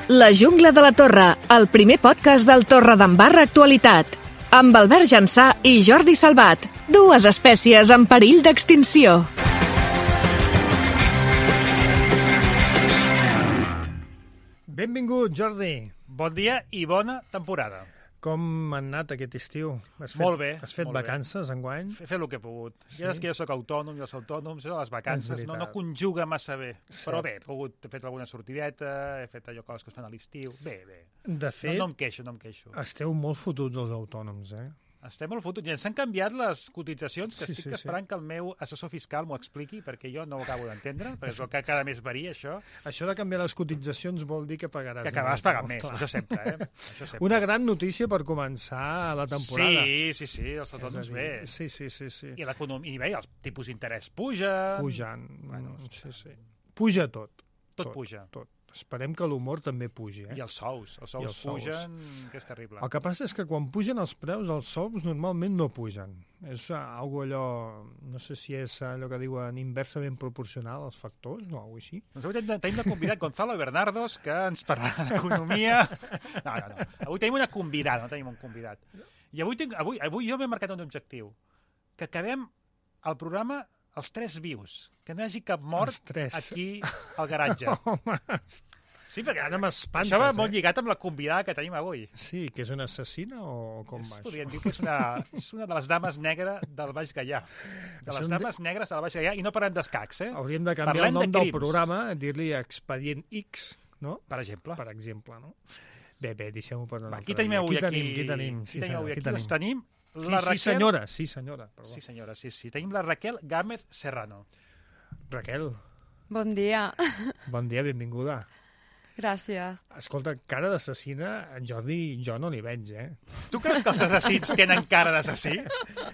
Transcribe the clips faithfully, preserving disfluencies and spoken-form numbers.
La jungla de la Torre, el primer podcast del Torredembarra Actualitat. Amb Albert Jansà i Jordi Salvat, dues espècies en perill d'extinció. Benvingut, Jordi. Bon dia i bona temporada. Com ha anat aquest estiu? Has fet, Molt bé. Has fet molt vacances, bé. enguany? He fet el que he pogut. Sí? Ja saps que jo sóc autònom i els autònoms, les vacances no, no conjuga massa bé. Sí. Però bé, he, pogut, he fet alguna sortideta, he fet allò coses que es fan a l'estiu. Bé, bé. De fet, no, no em queixo, no em queixo. Esteu molt fotuts els autònoms, eh? Estem molt fotuts. I ens han canviat les cotitzacions, que Sí, estic sí, sí. esperant que el meu assessor fiscal m'ho expliqui, perquè jo no ho acabo d'entendre, perquè és el que cada mes varia, això. Això de canviar les cotitzacions vol dir que pagaràs Que acabaràs més, pagant no? més, Clar. això sempre, eh? Això sempre. Una gran notícia per començar la temporada. Sí, sí, sí, els És a autònoms dir, bé. Sí, sí, sí, sí. I l'economia, i bé, els tipus d'interès pugen. Pujant. Bueno, sí, sí. Puja tot. Tot puja. Tot. Esperem que l'humor també pugi, eh? I els sous. Els sous els sous. pugen, que és terrible. El que passa és que quan pugen els preus, els sous normalment no pugen. És algo allò, no sé si és allò que diuen inversament proporcional als factors, o alguna així. Doncs avui tenim, tenim de convidat Gonzalo Bernardos, que ens parlarà d'economia. No, no, no. Avui tenim una convidada, no tenim un convidat. I avui, tinc, avui, avui jo m'he marcat un objectiu. Que acabem el programa els tres vius. Que no hi hagi cap mort aquí al garatge. Home, Sí, perquè ara m'espantes, això va eh? molt lligat amb la convidada que tenim avui. sí, que és una assassina o com És, va podríem això? dir que és una, és una de les dames negres del Baix Gaià. De Això les en dames negres del Baix Gaià, i no parlem d'escacs, eh? Hauríem de canviar Parlem el nom de del crims. programa, dir-li Expedient X, no? Per exemple. Per exemple, no? Bé, bé, deixem-ho per un Va, altre qui tenim dia. avui Qui aquí? tenim, qui tenim? Qui tenim avui qui aquí? Doncs tenim Sí, la sí, Raquel... senyora, sí, senyora. Perdó. Sí, senyora, sí, sí. Tenim la Raquel Gámez Serrano. Raquel, Bon dia. bon dia, benvinguda. Gràcies. Escolta, cara d'assassina, en Jordi i jo no n'hi veig, eh? Tu creus que els assassins tenen cara d'assassí?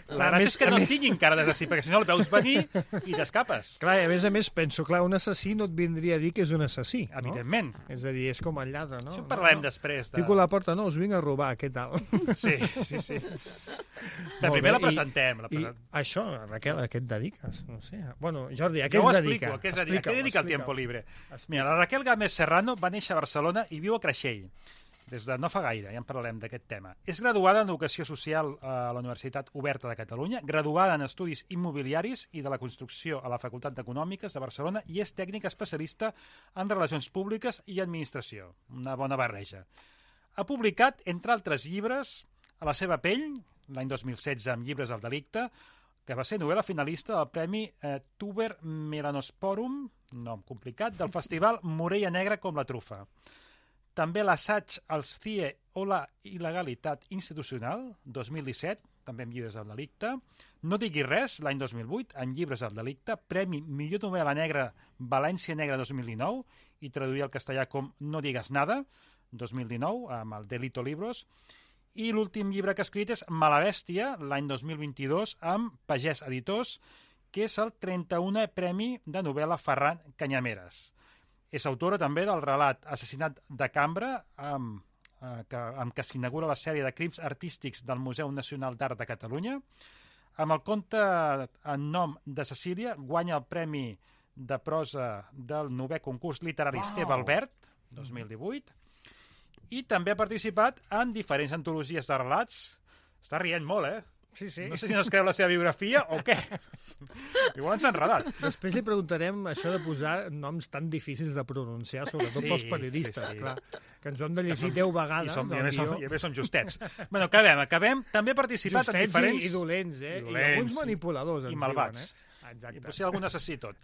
La A gràcia més- és que a no més- tinguin cara d'assassí, perquè si no el veus venir i t'escapes. Clar, i a més a més penso, clar, un assassí no et vindria a dir que és un assassí, no? Evidentment. És a dir, és com el lladre, no? Això en parlarem no, no. després. De... Pico a la porta, no, us vinc a robar, què tal? Sí, sí, sí. Bé, Molt primer bé, la presentem. La I, present... I això, Raquel, a què et dediques? No sé. Bueno, Jordi, a què Jo ho es explico, dedica? a què es dedica, a què Explica-ho, dedica el explica-ho. tiempo libre. Explica. Mira, la Raquel Gámez Serrano va néixer a Barcelona i viu a Creixell, des de no fa gaire, ja en parlarem d'aquest tema. És graduada en Educació Social a la Universitat Oberta de Catalunya, graduada en Estudis Immobiliaris i de la Construcció a la Facultat d'Econòmiques de Barcelona i és tècnica especialista en Relacions Públiques i Administració. Una bona barreja. Ha publicat, entre altres llibres, A la seva pell, l'any dos mil setze amb Llibres del delicte, que va ser novel·la finalista del Premi eh, Tuber Melanosporum, nom complicat, del Festival Morella Negra com la trufa. També l'assaig als C I E o la il·legalitat institucional, dos mil disset, també amb Llibres del delicte. No diguis res, l'any dos mil vuit, amb Llibres del delicte, Premi Millor novel·la negra València Negra dos mil dinou, i traduir al castellà com No digues nada, dos mil dinou, amb el Delito Libros. I l'últim llibre que ha escrit és Malabèstia, l'any dos mil vint-i-dos, amb Pagès Editors, que és el trenta-unè Premi de novel·la Ferran Canyameres. És autora també del relat Assassinat de Cambra, amb, eh, que, amb què s'inaugura la sèrie de crims artístics del Museu Nacional d'Art de Catalunya. Amb el conte En nom de Cecília guanya el Premi de prosa del novè concurs literari Wow. Esteve Albert, dos mil divuit. I també ha participat en diferents antologies de relats. Està rient molt, eh? Sí, sí. No sé si no es creu la seva biografia o què. Igual ens ha enredat. Després li preguntarem això de posar noms tan difícils de pronunciar, sobretot Sí, pels periodistes, sí, sí. clar, que ens ho hem de llegir deu I, vegades. som, i, a el més, som, guió. I a més som justets. Bueno, acabem, acabem. També ha participat en Justets diferents... i, i dolents, eh? I I, dolents, alguns manipuladors, i ens malvats. diuen, eh? Exacte. I potser algun assassí tot.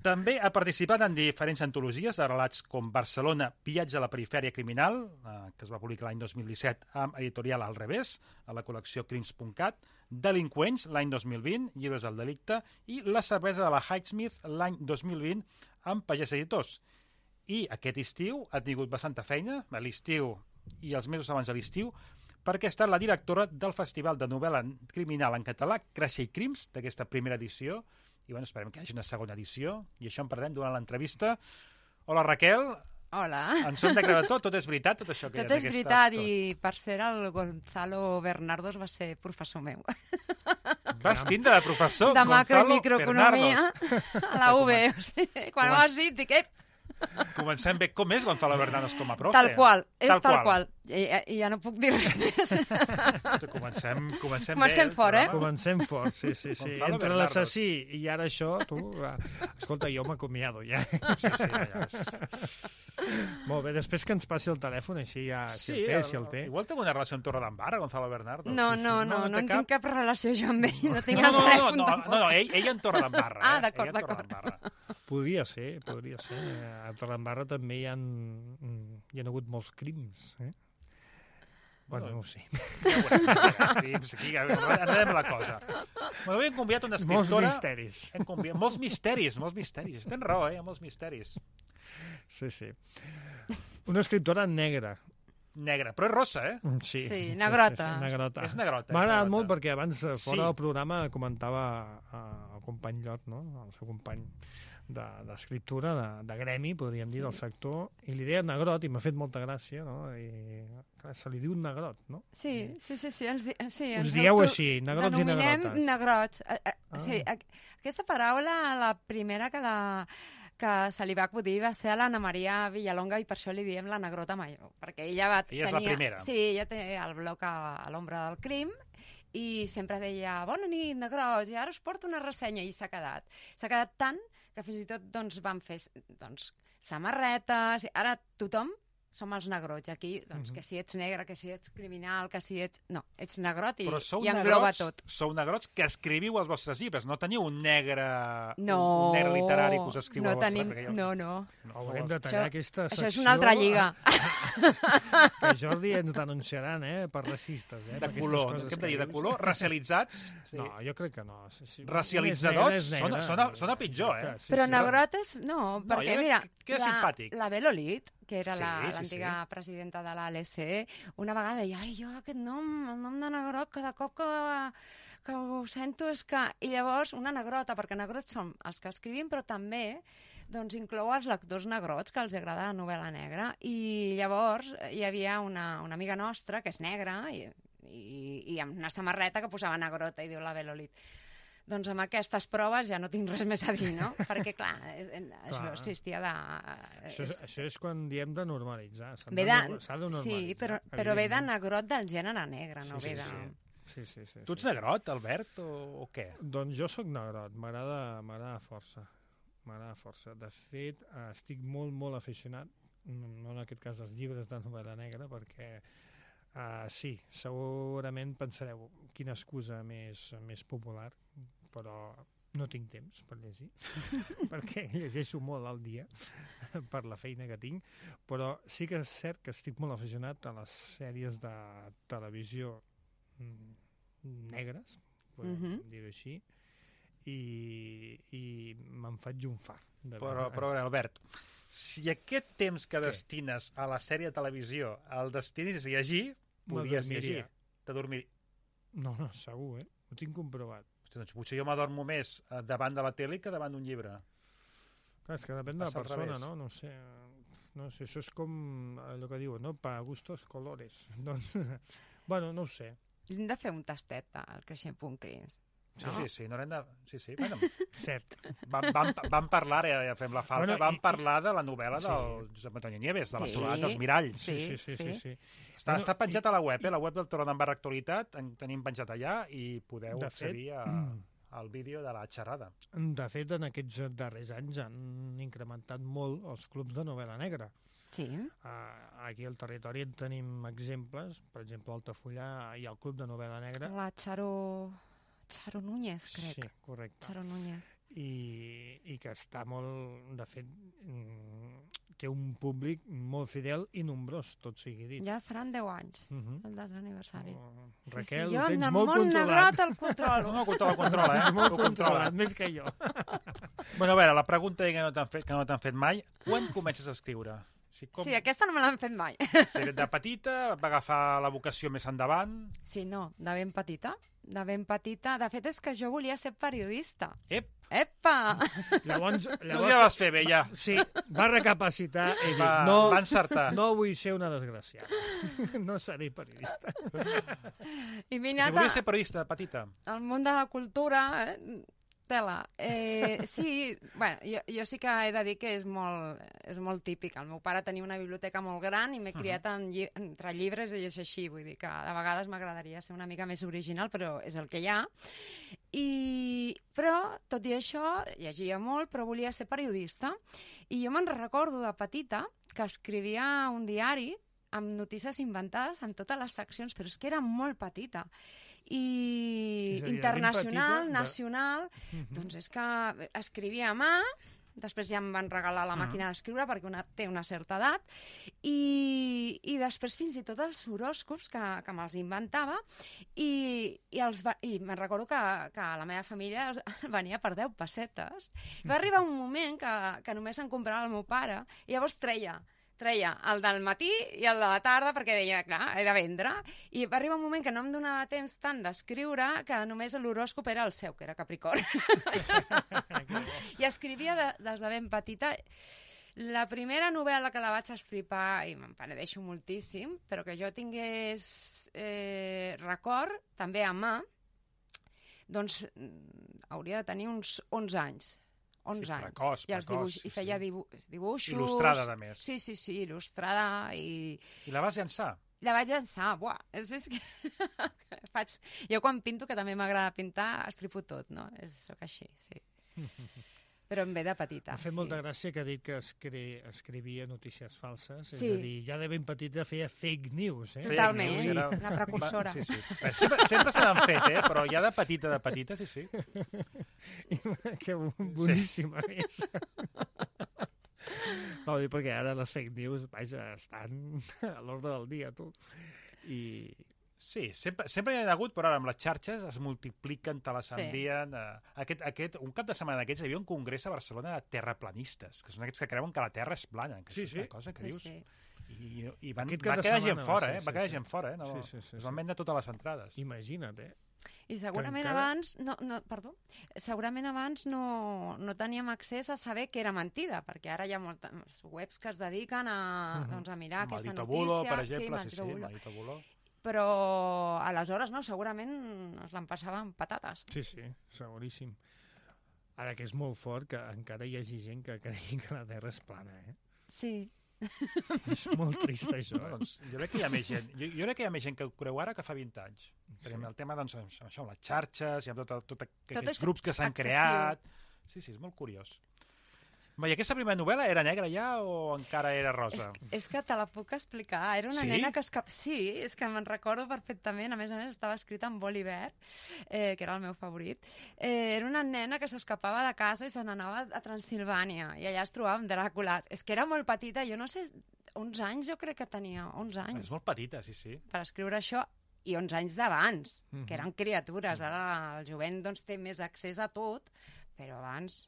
També ha participat en diferents antologies de relats com Barcelona, viatge a la perifèria criminal, eh, que es va publicar l'any dos mil disset amb editorial Al revés, a la col·lecció crims punt cat, Delinqüents, l'any dos mil vint, Llibres del delicte, i La cervesa de la Highsmith, l'any dos mil vint, amb Pagès Editors. I aquest estiu ha tingut bastanta feina, a l'estiu i els mesos abans de l'estiu, perquè ha estat la directora del Festival de Novel·la Criminal en català, Creixell Crims, d'aquesta primera edició, i bueno, esperem que hi hagi una segona edició, i això en parlarem durant l'entrevista. Hola, Raquel. Hola. Ens ho hem de creure tot? Tot és veritat, tot això? Que Tot hi ha és d'aquesta- veritat, tot. i per cert, el Gonzalo Bernardos va ser professor meu. Vas tindre de professor De macro i Gonzalo microeconomia Bernardos. a la U B. O sigui, quan Com m'has ens- dit, dic, ep, Comencem bé. Com és Gonzalo Bernanos com a profe? Tal qual, és tal, tal qual. qual. I, I ja no puc dir res més. Comencem, comencem, Comencem bé. fort, eh? Comencem fort, sí, sí, sí. Gonzalo Entre Bernardo. l'assassí i ara això, tu... va. Escolta, jo m'acomiado ja. Sí, sí, ja és... Molt bé, després que ens passi el telèfon, així ja, si Sí, el té, si el té. igual té una relació amb Torredembarra, Gonzalo Bernardo. No, Sí, sí. no, no, no, té en tinc cap relació jo amb ell, no tinc No, el no, no, telèfon no, no, tampoc. no, ell, ell en Torredembarra. Ah, eh? d'acord, Ell en d'acord. Torredembarra. Podria ser, podria ser. A Torredembarra també hi ha, hi ha hagut molts crims, eh? Bueno, no ho sé. Ja ho veurem. Sí, aquí enredem la cosa. Bueno, avui hem convidat una Molts escriptora... misteris. Hem convidat... Molts misteris, molts misteris. Tens raó, eh? Hi ha molts misteris. Sí, sí. Una escriptora negra. Negra, però és rossa, eh? Sí, Sí, negrota. Sí, sí, negrota. És negrota. M'ha és agradat negrota. molt perquè abans, eh, fora Sí. del programa, comentava eh, el company Llot, no? El seu company d'escriptura, de, de, de gremi, podríem dir, del sector, i li deia negrot, i m'ha fet molta gràcia, no? I clar, se li diu negrot, no? Sí, sí, sí, sí, ens, di sí, Us ens dieu auto- així, negrots i denominem negrotes. negrots. Eh, eh, Ah. Sí, a- aquesta paraula, la primera que, la, que se li va acudir va ser a l'Anna Maria Villalonga i per això li diem la negrota major, perquè ella va Ella és la primera. Sí, ella té el bloc a, a l'ombra del crim i sempre deia, bona nit, negrots, i ara us porto una ressenya, i s'ha quedat. S'ha quedat tant que fins i tot doncs, van fer doncs, samarretes, ara tothom som els negrots. Aquí, doncs, Mhm. que si ets negre, que si ets criminal, que si ets... No, ets negrot i, Però sou i engloba negrots, tot. sou negrots que escriviu els vostres llibres. No teniu un negre, No, un negre literari que us escriu no als vostres... tenim... perquè jo- No, no. Haurem de tallar Això- aquesta secció. Això és una altra lliga. Que Jordi ens denunciaran, eh, per racistes, eh? De per aquestes color, coses què hem de dir, de dius. color? Racialitzats? Sí. No, jo crec que no. Sí, sí. Racialitzadors? És negre, és negre. Sona- sona- sona pitjor, eh? Sí, Però sí. negrot és... No, No, perquè, jo crec mira, que queda la, simpàtic. la Belolit, que era Sí, la- sí, l'antiga sí. presidenta de l'A L C, una vegada deia, ai, jo aquest nom, el nom de negrot, cada cop que, que ho sento és que... I llavors, una negrota, perquè negrots som els que escrivim, però també doncs, inclou els lectors negrots, que els agrada la novel·la negra. I llavors hi havia una, una amiga nostra, que és negra, i, i, i amb una samarreta que posava negrota, i diu la Belolit. Doncs amb aquestes proves ja no tinc res més a dir, no? Perquè, clar, és, això Clar. existia de... Això és, això és quan diem de normalitzar. S'ha Ve de, de, norma- s'ha de normalitzar. sí, però, però ve de evidentment. negrot del gènere negre, no Sí, ve sí, de... sí. Sí, sí, sí, Tu ets sí, negrot, Albert, o, o què? sí. Doncs jo sóc negrot, m'agrada m'agrada força. M'agrada força. De fet, eh, estic molt, molt aficionat, no en aquest cas als llibres de novel·la negra, perquè uh, sí, segurament pensareu quina excusa més, més popular, però no tinc temps per llegir, perquè llegeixo molt al dia per la feina que tinc, però sí que és cert que estic molt aficionat a les sèries de televisió mm, negres, podem Mhm. dir-ho així, i, i me'n faig un far. De Però, veure- però a veure, Albert, si aquest temps que destines a la sèrie de televisió el destinis a llegir, podries M'adormiria. llegir. T'adormir. No, no, segur, eh? Ho tinc comprovat. Hosti, doncs potser jo m'adormo més eh, davant de la tele que davant d'un llibre. Clar, és que depèn de la Passa al persona, revés. no? No sé, no sé, això és com allò que diuen, no? Pa gustos colores. Doncs, bueno, no ho sé. Hem de fer un tastet al creixent punt crims. Sí, No? sí, sí, no haurem de... Sí, sí, bueno, Cert. vam, vam, vam parlar, ja, ja fem la falta, Bueno, vam i- parlar de la novel·la Sí. del Josep Antonio Nieves, de la Sí. soledat dels miralls. Sí, sí, sí, Sí, sí. sí. sí. Està, Bueno, està penjat a la web, eh? La web del Torredembarra Actualitat, en tenim penjat allà i podeu De accedir fet, a, al vídeo de la xerrada. De fet, en aquests darrers anys han incrementat molt els clubs de novel·la negra. Sí. Uh, aquí al territori en tenim exemples. Per exemple, a Altafulla hi ha el club de novel·la negra. La Charo... Charo Núñez, crec. Sí, correcte. Charo Núñez. I, i que està molt... De fet, mm, té un públic molt fidel i nombrós, tot sigui dit. Ja faran deu anys, Uh -huh. el desè aniversari. Oh, Sí, Raquel, sí, ho jo tens en molt el món controlat. negrot el controlo. No, no, controla, controla, eh? Tens molt Ho controla. controlat, més que jo. Bueno, a veure, la pregunta que no t'han fet, que no t'han fet mai, quan comences a escriure? Si com, Sí, aquesta no me l'han fet mai. si de petita va agafar la vocació més endavant... Sí, no, de ben petita. De ben petita. De fet, és que jo volia ser periodista. Ep, Epa! Llavors, llavors... llavors ja vas fer bé, ja. sí, va recapacitar i dir, Va, no, va encertar. no vull ser una desgraciada. No seré periodista. I m'he Si anat volies a- ser periodista de petita, al món de la cultura, eh? tela. Eh, sí, bueno, jo, jo sí que he de dir que és molt, és molt típic. El meu pare tenia una biblioteca molt gran i m'he criat en lli entre llibres i és així. Vull dir que de vegades m'agradaria ser una mica més original, però és el que hi ha. I, però, tot i això, llegia molt, però volia ser periodista. I jo me'n recordo de petita que escrivia un diari amb notícies inventades en totes les seccions, però és que era molt petita. I dir, internacional, petita, nacional, de... uh -huh. doncs és que escrivia a mà, després ja em van regalar la màquina d'escriure perquè una, té una certa edat, i, i després fins i tot els horòscops que, que me'ls inventava, i, i, els va, i me'n recordo que, que la meva família venia per deu pessetes. Va arribar un moment que, que només en comprava el meu pare, i llavors treia treia el del matí i el de la tarda perquè deia, clar, he de vendre. I va arribar un moment que no em donava temps tant d'escriure que només l'horòscop era el seu, que era Capricorn. I escrivia de, des de ben petita. La primera novel·la que la vaig estripar, i me'n penedeixo moltíssim, però que jo tingués eh, record, també a mà, doncs hauria de tenir uns onze anys. onze sí, anys. Precoç, I, els dibuix, precoç, i feia sí. dibu dibuixos... Il·lustrada, a més. Sí, sí, sí, il·lustrada i... I la vas llançar? La vaig llançar, buah, és, és que... Faig... Jo quan pinto, que també m'agrada pintar, estripo tot, no? És, soc així, sí. Però em ve de petita. M'ha fet sí. molta gràcia que ha dit que escri... escrivia notícies falses, sí. és a dir, ja de ben petita feia fake news, eh? Totalment, news, era... una precursora. Sí, sí. Sempre, sempre se n'han fet, eh? Però ja de petita, de petita, sí, sí. Que boníssima sí. és. No, dic perquè ara les fake news, vaja, estan a l'ordre del dia, tu. I... Sí, sempre, sempre hi ha hagut, però ara amb les xarxes es multipliquen, te les envien... Sí. Eh, aquest, aquest, un cap de setmana d'aquests hi havia un congrés a Barcelona de terraplanistes, que són aquests que creuen que la Terra és plana, que sí, això és sí. una cosa que sí, dius... Sí. I, i van, Aquest va cap de quedar setmana gent fora, va ser, eh? sí, Va quedar sí. gent fora, eh? No, Sí, sí, sí, es van sí. vendre totes les entrades. Imagina't, eh? I segurament encara... abans, no, no, perdó, segurament abans no, no teníem accés a saber que era mentida, perquè ara hi ha moltes webs que es dediquen a, uh -huh. doncs, a mirar Maldito aquesta Bulo, notícia. per exemple, sí, sí, sí, Bulo. Maldito Bulo. Però aleshores no, segurament es l'empassaven patates. Sí, sí, seguríssim. Ara que és molt fort que encara hi hagi gent que cregui que la Terra és plana, eh? Sí. És molt trist, això. No, doncs, jo crec que hi ha més gent. Jo, jo crec que hi ha més gent que ho creu ara que fa vint anys. Sí. Perquè el tema, doncs, amb això, amb les xarxes, i amb tot, tot, tot aquests grups que s'han creat... Sí, sí, és molt curiós. I aquesta primera novel·la era negra ja o encara era rosa? És, és que te la puc explicar. Era una sí? nena que escap... Sí, és que me'n recordo perfectament. A més a més, estava escrita en boli verd, eh, que era el meu favorit. Eh, era una nena que s'escapava de casa i se n'anava a Transilvània. I allà es trobava amb Dràcula. És que era molt petita. Jo no sé... onze anys jo crec que tenia. onze anys. És molt petita, sí, sí. Per escriure això... I onze anys d'abans, Mm-hmm. que eren criatures. Ara el jovent doncs, té més accés a tot, però abans...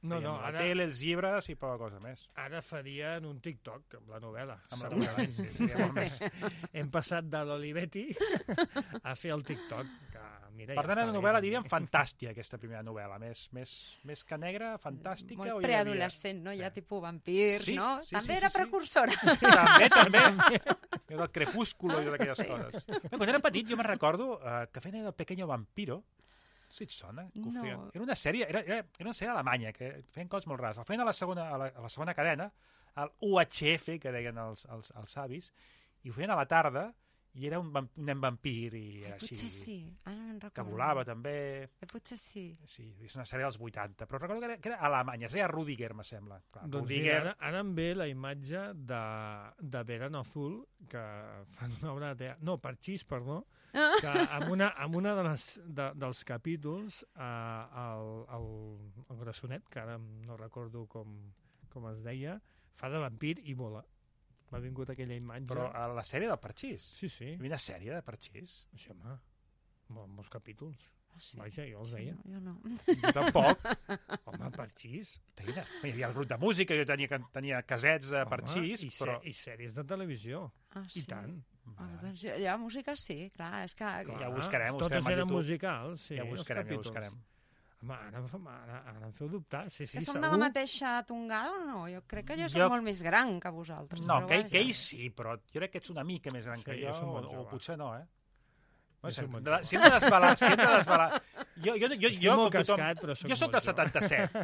No, no, la ara, tele, els llibres i poca cosa més. ara farien un TikTok amb la novel·la. Amb la segurament. novel·la, sí, sí, molt més. Hem passat de l'Olivetti a fer el TikTok. Que, mira, Per ja tant, està la bé, novel·la també. diríem fantàstica, aquesta primera novel·la. Més, més, més que negra, fantàstica. o Molt hi havia- preadolescent, no? Ja tipus vampirs, Sí, no? sí, També sí, era sí, sí. precursora. Sí, també, també. I del crepúsculo i d'aquelles Sí. coses. Bé, quan era petit jo me'n recordo uh, que feien el Pequeño Vampiro. Si et sona? Que ho No. feien. Era una sèrie, era, era, era una sèrie alemanya, que feien coses molt rares. El feien a la segona, a la, a la segona cadena, al U H F, que deien els, els, els avis, i ho feien a la tarda, i era un, vamp, un nen vampir, i era així, Potser sí, ara no me'n recordo. que volava també. Eh, Potser sí. Sí, és una sèrie dels vuitanta, però recordo que era, que era alemanya, es deia Rudiger, me sembla. Clar, Doncs Rudiger... mira, ara, ara em ve la imatge de, de Verano Azul, que fan una obra de teatre... No, Parchís, perdó, que amb una, amb una de les, de, dels capítols, eh, el, el, el Grassonet, que ara no recordo com, com es deia, fa de vampir i vola. M'ha vingut aquella imatge. Però a la sèrie del Parchís. Sí, sí. Hi havia una sèrie de Parchís. Això, home, amb molts capítols. Ah, sí. Vaja, jo els veia. Jo no. Jo tampoc. Home, Parchís. Tenia, hi havia el grup de música, jo tenia, tenia casets de Parchís, i, però... i sèries de televisió. Ah, sí. I tant. Ah, doncs ja, ja música sí, clar, és que... Clar. Ja ho buscarem, ho Totes buscarem a eren YouTube. musicals, sí, Ja ho els buscarem, ja ho capítols. buscarem. Home, ara, em fa- ara, ara em feu dubtar. Sí, sí, que som segur. de la mateixa tongada o no? Jo crec que jo soc Jo- molt més gran que vosaltres. No, però que, vaja. que ell sí, però jo crec que ets una mica més gran Sí, que jo jo, som o, molt o jove. potser no, eh? No, si, un hem de, si hem de desvelar... Si hem de desvelar... Jo, jo, jo, Estic jo, molt com tothom, cascat, però soc jo soc molt del setanta-set.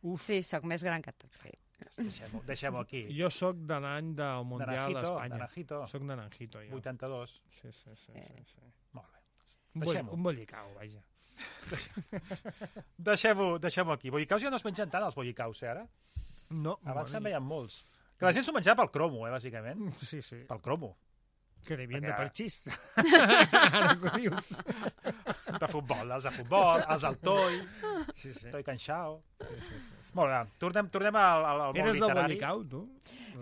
Uf, Sí, sóc més gran que tu, sí. Deixem-ho deixem aquí. jo sóc de l'any del Mundial Naranjito, d'Espanya. Naranjito. Soc naranjito, jo. vuitanta-dos. Sí, sí, sí. sí, sí. Molt bé. Un, boll, Deixem-ho. un bollicau, vaja. Deixem-ho deixem aquí. Bollicaus ja no es mengen tant, els bollicaus, eh, ara? No, Abans se'n bueno, veien molts. Que la gent s'ho menjava pel cromo, eh, bàsicament. Sí, sí. Pel cromo. Que li havien de Perquè- per xist. Ara que ho dius. De futbol, els de futbol, els del Toi, Sí, sí. Toi Canxao. sí, sí, sí. Molt bé, tornem, tornem al, al, al món Eres del literari. bollicau, tu?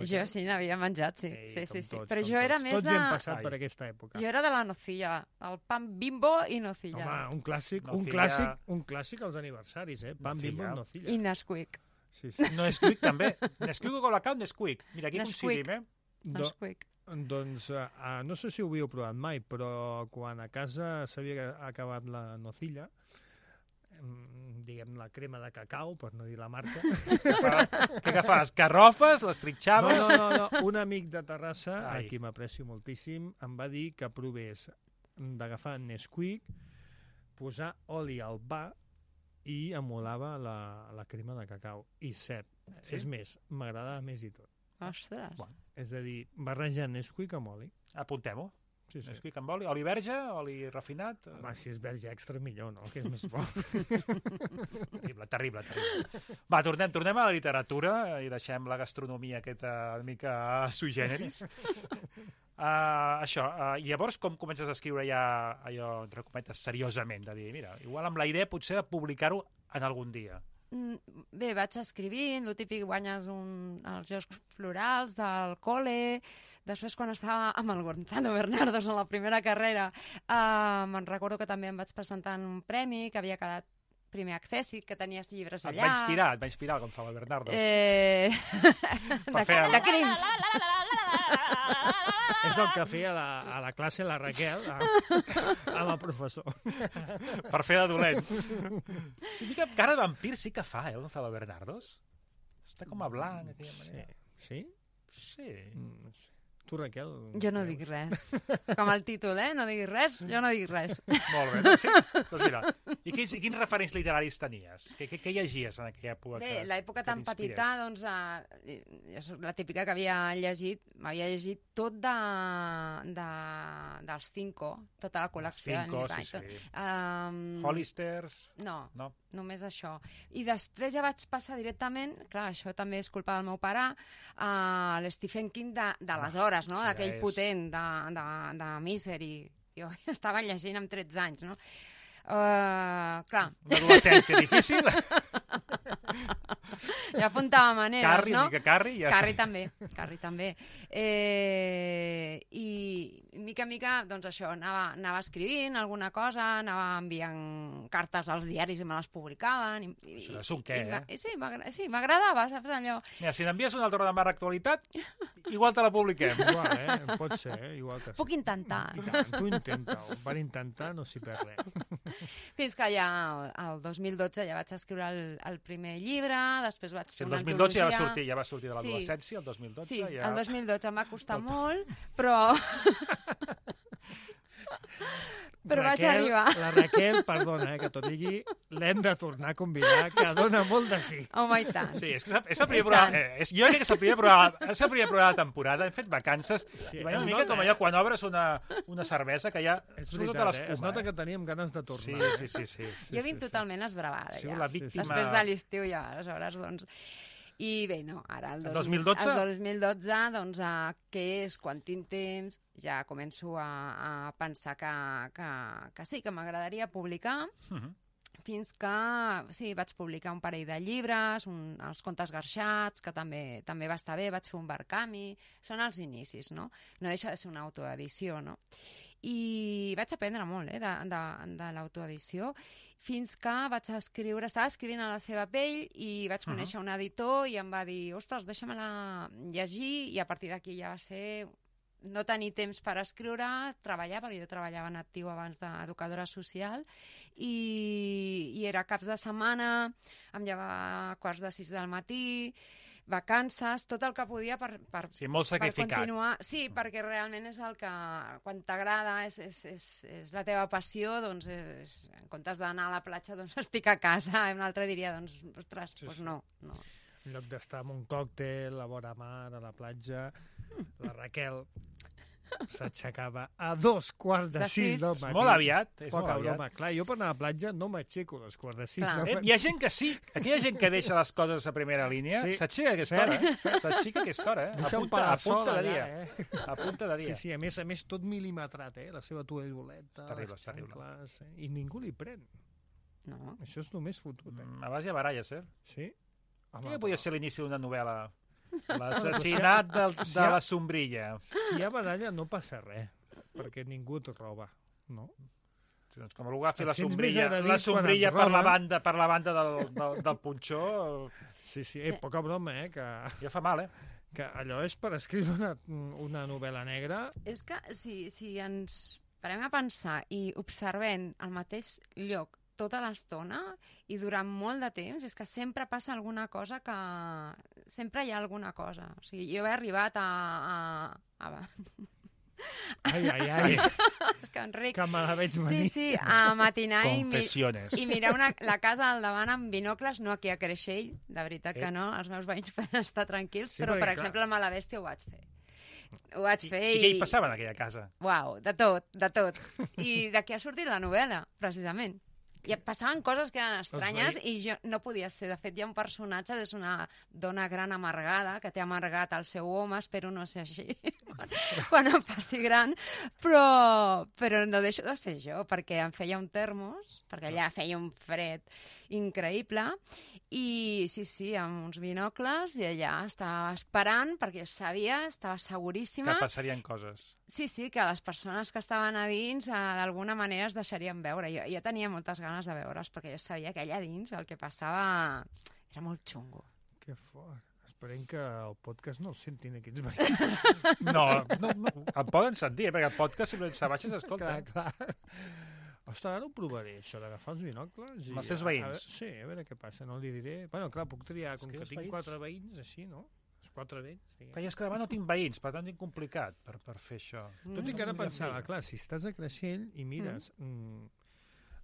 Jo sí, n'havia menjat, sí. Ei, sí, sí, com sí. tots, Però com jo era tots. més Tots de... hem passat Ai. per aquesta època. Jo era de la nocilla, el pan bimbo i nocilla. Home, un clàssic, un Nocilla. clàssic, un clàssic als aniversaris, eh? Pan Nocilla. bimbo, nocilla. I Nesquik. Sí, sí. No és Nesquik, també. Nesquik o Colacao, Nesquik. Mira, aquí Nesquik. coincidim, eh? Do, Nesquik. doncs, uh, no sé si ho havíeu provat mai, però quan a casa s'havia acabat la nocilla, em, diguem la crema de cacau, per no dir la marca. Què agafes? Garrofes, les No, trinxaves... no, no, no. Un amic de Terrassa, Ai. a qui m'aprecio moltíssim, em va dir que provés d'agafar Nesquik, posar oli al pa i emulava la, la crema de cacau. I cert, Sí? és més, m'agradava més i tot. Ostres. Bueno. És a dir, barrejar Nesquik amb oli. Apuntem-ho. Sí, sí. Nesquik amb oli. Oli verge, oli refinat... Home, si és verge extra, millor, no? Que és més bo. Terrible, terrible, terrible. Va, tornem, tornem a la literatura i deixem la gastronomia aquesta una mica sui generis. Uh, això, uh, i llavors com comences a escriure ja allò, entre cometes, seriosament, de dir, mira, igual amb la idea potser de publicar-ho en algun dia. Mm, Bé, vaig escrivint, el típic guanyes un, els Jocs Florals del col·le, després quan estava amb el Gonzalo Bernardos en la primera carrera, eh, me'n recordo que també em vaig presentar en un premi, que havia quedat primer accèssit, que tenies llibres Et allà. va inspirar, et va inspirar el Gonzalo Bernardo. Eh... de, fer el- de crims. És el que feia a la, a la classe la Raquel, a, amb el professor. Per fer de dolent. Sí, mica cara de vampir sí que fa, eh, el Gonzalo Bernardos. Està com a blanc, d'aquella Sí. manera. Sí? Sí. Mm, no sé. Tu, Raquel? Jo no dic res. Com el títol, eh? No diguis res, jo no dic res. Molt bé. Doncs, sí. Doncs mira, i quins, i quins referents literaris tenies? Què, què, què llegies en aquella època? Bé, que- l'època que tan t'inspirés? petita, doncs, eh, jo soc la típica que havia llegit, m'havia llegit tot de, de, dels Cinco, tota la col·lecció. Cinco, de sí, Nick sí. Um, Hollisters... No, No? només això. I després ja vaig passar directament, clar, això també és culpa del meu pare, a l'Stephen King de- d'aleshores, no? sí, D'aquell és- potent, de, de, de Misery. Jo estava llegint amb tretze anys, no? Uh, clar, Una adolescència difícil. ja apuntava maneres, Carrie, no? mica Carrie. Ja Carrie també, Carrie també. Eh, I mica en mica, doncs això, anava, anava escrivint alguna cosa, anava enviant cartes als diaris i me les publicaven. I, Això és un què, i, eh? I, sí, m'agra- sí, m'agradava, saps allò? Mira, si n'envies una altra de mar actualitat, igual te la publiquem. Igual, eh? Pot ser, eh? Igual que sí. Puc intentar. I tant, tu intenta-ho. Per intentar no s'hi perd res. Fins que ja el dos mil dotze ja vaig escriure el, el primer llibre, després vaig Si fer el una dos mil dotze ja va antologia. sortir, ja va sortir de Sí. l'adolescència, el dos mil dotze Sí, ja... el dos mil dotze em va costar molt, però... però vaig Raquel, arribar. La Raquel, perdona, eh, que t'ho digui, l'hem de tornar a convidar, que dona molt de sí. Home, i tant. Sí, és que és el- és el primer I programa... tant. Eh, és, jo crec que és el primer programa, és el primer programa de temporada, hem fet vacances, Sí, i veiem es una mica nota, com eh? allò quan obres una, una cervesa que ja És surt tota veritat, eh? l'escuma. Es nota eh? que teníem ganes de Sí, tornar. sí, sí, sí. Jo vinc totalment esbravada, Ha sigut ja. la víctima... Després de l'estiu ja, aleshores, doncs... I bé, no, ara el, El dos dos mil dotze? El dos mil dotze, doncs, uh, què és, quan tinc temps, ja començo a, a pensar que, que, que sí, que m'agradaria publicar, Mhm. fins que, sí, vaig publicar un parell de llibres, un, els contes garxats, que també també va estar bé, vaig fer un barcami, són els inicis, no? No deixa de ser una autoedició, no? I vaig aprendre molt, eh, de, de, de l'autoedició, fins que vaig escriure, estava escrivint a la seva pell i vaig conèixer uh -huh. un editor i em va dir, ostres, deixa-me-la llegir, i a partir d'aquí ja va ser no tenir temps per escriure, treballar, perquè jo treballava en actiu abans d'educadora social, i, i era caps de setmana, em llevava a quarts de sis del matí, vacances, tot el que podia per, per, Sí, molt per sacrificat. continuar. Sí, perquè realment és el que, quan t'agrada, és, és, és, és la teva passió, doncs és, en comptes d'anar a la platja, doncs estic a casa. I un altre diria, doncs, ostres, Sí, doncs sí. no, no. En lloc d'estar amb un còctel, a vora mar, a la platja, la Raquel s'aixecava a dos quarts de De sis sis. del És matí. molt aviat, és molt Poca aviat. broma. Clar, jo per anar a la platja no m'aixeco a les quarts de sis Clar. del Eh, matí. hi ha gent que sí. Aquí hi ha gent que deixa les coses a primera línia. Sí. S'aixeca a aquesta Cert, hora, eh? S'aixeca a aquesta hora, eh? Deixa un Apunta, parasol apunta de allà, dia. eh? A punta de Sí, dia. sí, a més a més tot mil·limetrat, eh? La seva tovalboleta, És terrible, les és terrible. xancles, eh? I ningú li pren. No. Això és només fotut, eh? Mm, A base de baralles, eh? Sí? Home, Què podia però ser l'inici d'una novel·la? L'assassinat del, Si de hi ha- la sombrilla. Si hi ha baralla no passa res, perquè ningú et roba, no? Sí, doncs com algú agafi Et la sents més sombrilla, agredit la quan sombrilla et per la roben. banda, per la banda del, del, del punxó, Sí, sí, eh, poca broma, eh? Que, ja fa mal, eh? que allò és per escriure una, una novel·la negra. És que si, si ens parem a pensar i observem el mateix lloc tota l'estona i durant molt de temps, és que sempre passa alguna cosa que... Sempre hi ha alguna cosa. O sigui, jo he arribat a... a, a... Ai, ai, ai, és que Enric... que me la veig Sí, venir. sí, a matinar i, mi, Confessiones. i mirar una, la casa al davant amb binocles, no aquí a Creixell, de veritat Eh? que no, els meus veïns poden estar tranquils, Sí, però, perquè, per clar. exemple, a Malabèstia ho vaig fer. Ho vaig I, fer I què hi passava en aquella casa? Uau, de tot, de tot. I d'aquí ha sortit la novel·la, precisament. I passaven coses que eren estranyes veï- i jo no podia ser. De fet, hi ha un personatge, és una dona gran amargada, que té amargat el seu home, espero no ser així, quan, quan em faci gran, però, però no deixo de ser jo, perquè em feia un termos, perquè allà feia un fred increïble, i sí, sí, amb uns binocles, i allà estava esperant, perquè jo sabia, estava Que seguríssima, passarien coses. sí, sí, que les persones que estaven a dins eh, d'alguna manera es deixarien veure. Jo, jo tenia moltes ganes de veure's perquè jo sabia que allà dins el que passava era molt xungo. Que fort. Esperem que el podcast no el sentin aquests veïns. No, no, no em poden sentir, eh, perquè el podcast sempre se baixa s'escolta. clar, clar. Ostres, ara ho provaré, això d'agafar els binocles. I Amb els teus a- a veïns. veure- sí, a veure què passa, no li diré. Bueno, clar, puc triar, És com que que, els tinc veïns- quatre veïns, així, no? Els quatre veïns. diguem. Però jo és que davant no tinc veïns, per tant tinc complicat per, per fer això. Tot i que ara no podria pensava, fer. clar, si estàs a Creixell i mires mm.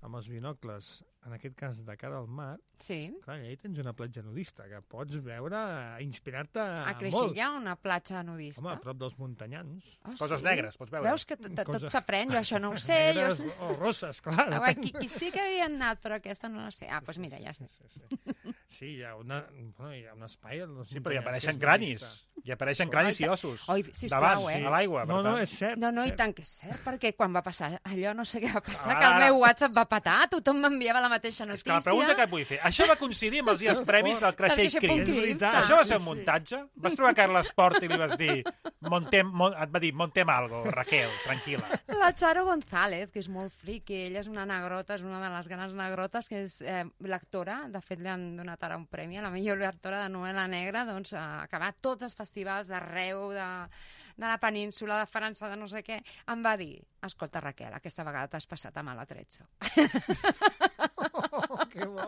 amb els binocles, en aquest cas de cara al mar, Sí. clar, allà hi tens una platja nudista, que pots veure, inspirar-te A Creixell molt. hi ha una platja nudista. Home, a prop dels muntanyans. Oh, Coses sí? negres, pots veure. Veus que tot, tot Coses- s'aprèn, jo això no ho sé. Jo... Negres o rosses, clar. Ah, depèn. qui, qui sí que havia anat, però aquesta no la sé. Ah, doncs mira, ja sé. Sí, sí, sí. sí, hi ha, una, bueno, hi ha un espai... als Sí, però hi muntanyans que apareixen és cranis. nudista. Hi apareixen Clar, cranis i ossos. Oi, sisplau, Davant, eh? a l'aigua, per No, no, tant. és cert. No, no, i cert. tant que és cert, perquè quan va passar allò, no sé què va passar, Ara, que el ara. meu WhatsApp va petar, tothom m'enviava la mateixa És notícia. que la pregunta que et vull fer, això va coincidir amb els dies previs del Creixell Del Creixell Crims? Crims, És veritat. clar. Això va Sí, ser un sí. muntatge? Vas trobar Carles Port i li vas dir montem, mon, et va dir, montem algo, Raquel, tranquil·la. La Charo González, que és molt friqui, ella és una negrota, és una de les grans negrotes, que és eh, lectora, de fet li han donat ara un premi a la millor lectora de novel·la negra, doncs ha acabat tots els festivals d'arreu, de, de la península, de França, de no sé què, em va dir, escolta Raquel, aquesta vegada t'has passat amb l'Atrezzo. Oh, que bo.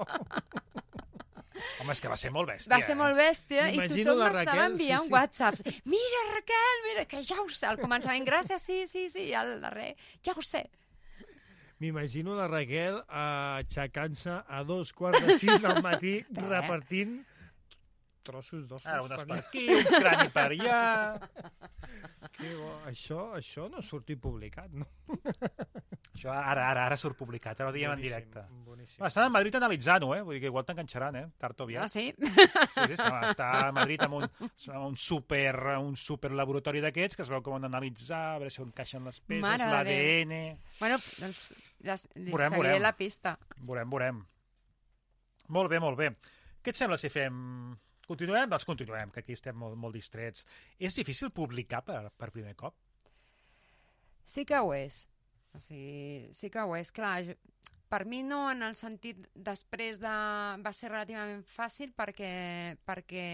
Home, és que va ser molt bèstia. Va ser molt bèstia i M'imagino tothom la m'estava Raquel, enviant sí, sí. whatsapps. Mira, Raquel, mira, que ja ho sé. Al començament, gràcies, sí, sí, sí, i al darrer, ja ho sé. M'imagino la Raquel eh, aixecant-se a dos quarts de sis del matí repartint trossos d'ossos. Ara, unes per per allà. aquí, uns crani per allà... Que bo. Això, això no ha sortit publicat, no? Això ara, ara, ara surt publicat, ara ho diem en Boníssim, directe. boníssim. Va, estan a Madrid analitzant-ho, eh? Vull dir que igual t'enganxaran, eh? Tard o Ah, aviat. sí? Sí, sí, està, està a Madrid amb un, un, super, un super laboratori d'aquests que es veu com han d'analitzar, a veure si on encaixen les peces, Mare de l'A D N... Bueno, doncs les, li Veurem, seguiré veurem. la pista. Veurem, veurem. Molt bé, molt bé. Què et sembla si fem... Continuem? Doncs continuem, que aquí estem molt, molt distrets. És difícil publicar per, per primer cop? Sí que ho és. O sigui, sí que ho és. Clar, jo, per mi no en el sentit després de... Va ser relativament fàcil perquè, perquè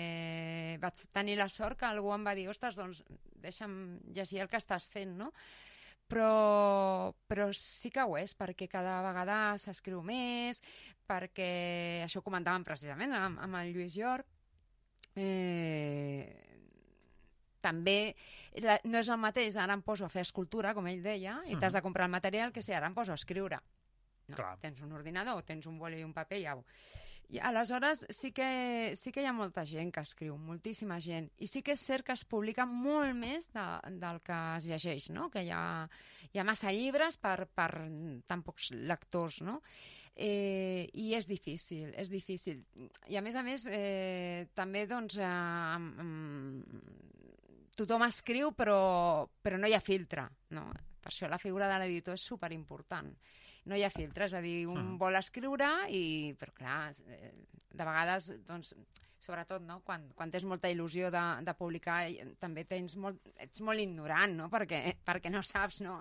vaig tenir la sort que algú em va dir ostres, doncs deixa'm llegir el que estàs fent, no? Però, però sí que ho és, perquè cada vegada s'escriu més, perquè això ho comentàvem precisament amb, amb el Lluís Llor, Eh, també la, no és el mateix, ara em poso a fer escultura, com ell deia, i t'has de comprar el material, que si ara em poso a escriure. No, tens un ordinador, tens un boli i un paper i au. I aleshores sí que, sí que hi ha molta gent que escriu, moltíssima gent, i sí que és cert que es publica molt més de, del que es llegeix, no? Que hi ha, hi ha massa llibres per, per tan pocs lectors, no? Eh, i és difícil, és difícil. I a més a més, eh, també doncs, eh, eh, tothom escriu però, però no hi ha filtre, no? Per això la figura de l'editor és superimportant. No hi ha filtre, és a dir, un mm. vol escriure, i, però clar, de vegades, doncs, sobretot, no? quan, quan tens molta il·lusió de, de publicar, també tens molt, ets molt ignorant, no? perquè, perquè no saps, no?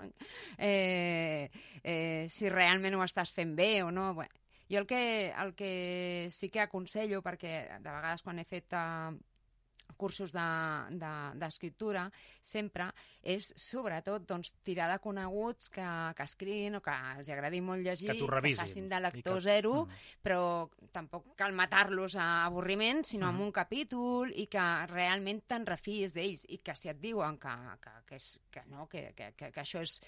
Eh, eh, si realment ho estàs fent bé o no. Bé, jo el que, el que sí que aconsello, perquè de vegades quan he fet uh, cursos d'escriptura, de, de, sempre és, sobretot, doncs, tirar de coneguts que, que escriguin o que els agradi molt llegir, que, que facin de lector que... zero, mm. però tampoc cal matar-los a avorriment, sinó mm. amb un capítol, i que realment te'n refiïs d'ells, i que si et diuen que, que, que, és, que, no, que, que, que, que això és,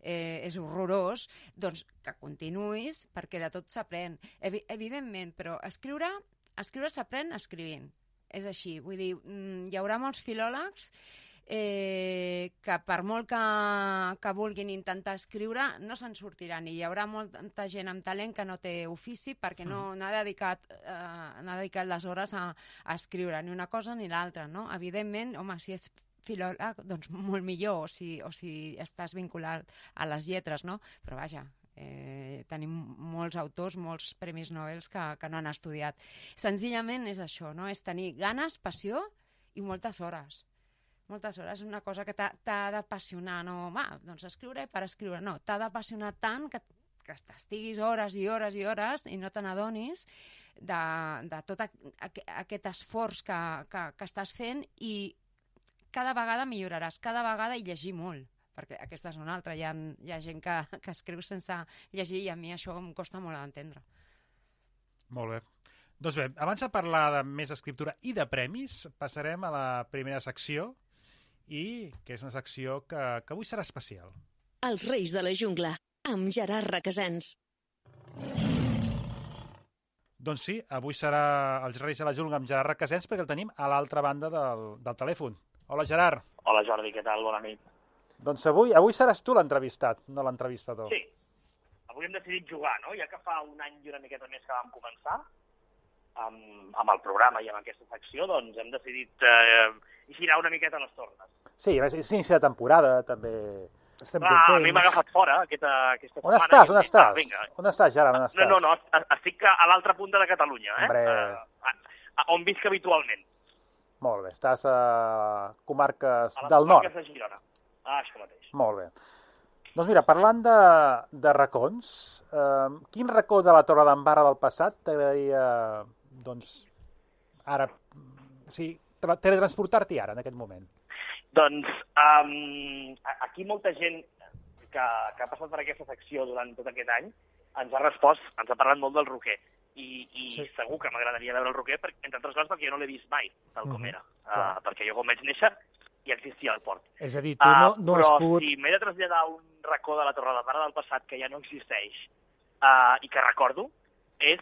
eh, és horrorós, doncs que continuïs, perquè de tot s'aprèn. Evi evidentment, però escriure, escriure s'aprèn escrivint. És així, vull dir, hi haurà molts filòlegs eh, que per molt que, que vulguin intentar escriure no se'n sortiran, i hi haurà molta gent amb talent que no té ofici perquè no n'ha dedicat, eh, n'ha dedicat les hores a, a escriure, ni una cosa ni l'altra, no? Evidentment, home, si ets filòleg, doncs molt millor, o si, o si estàs vinculat a les lletres, no? Però vaja, Eh, tenim molts autors, molts premis Nobel que, que no han estudiat. Senzillament és això, no? És tenir ganes, passió i moltes hores. Moltes hores, és una cosa que t'ha d'apassionar, no? Va, doncs escriure per escriure. No, t'ha d'apassionar tant que, que t'estiguis hores i hores i hores i no te n'adonis de, de tot a, a, aquest esforç que, que, que estàs fent, i cada vegada milloraràs, cada vegada i llegir molt, perquè aquesta és una altra. Hi ha, hi ha gent que, que escriu sense llegir, i a mi això em costa molt d'entendre. Molt bé. Doncs bé, abans de parlar de més escriptura i de premis, passarem a la primera secció, i que és una secció que, que avui serà especial. Els Reis de la Jungla, amb Gerard Requesens. Doncs sí, avui serà Els Reis de la Jungla amb Gerard Requesens, perquè el tenim a l'altra banda del, del telèfon. Hola, Gerard. Hola, Jordi, què tal? Bona nit. Doncs avui, avui seràs tu l'entrevistat, no l'entrevistador. Sí, avui hem decidit jugar, no? Ja que fa un any i una miqueta més que vam començar amb, amb el programa i amb aquesta secció, doncs hem decidit eh, girar una miqueta les tornes. Sí, és inici de temporada, també estem Clar, contents. a mi m'ha agafat fora aquesta, aquesta on setmana. Estàs, on estàs? Vinga. On estàs, Gerard, on estàs? No, no, no, estic a l'altra punta de Catalunya, eh? Hombre. A, a, on visc habitualment. Molt bé, estàs a comarques a del nord. A les comarques de Girona. Ah, això mateix. Molt bé. Doncs mira, parlant de, de racons, eh, quin racó de la Torre d'Embarra del passat t'agradaria, doncs, ara, o sigui, teletransportar-t'hi ara, en aquest moment? Doncs, um, aquí molta gent que, que ha passat per aquesta secció durant tot aquest any ens ha respost, ens ha parlat molt del Roquer. I, i sí. Segur que m'agradaria veure el Roquer, perquè, entre altres coses, perquè jo no l'he vist mai, tal com uh-huh. era. Uh, perquè jo, com vaig néixer, ja existia el port. És a dir, tu no, no uh, has però pogut... si m'he de traslladar a un racó de la Torre d'Embarra del passat que ja no existeix uh, i que recordo, és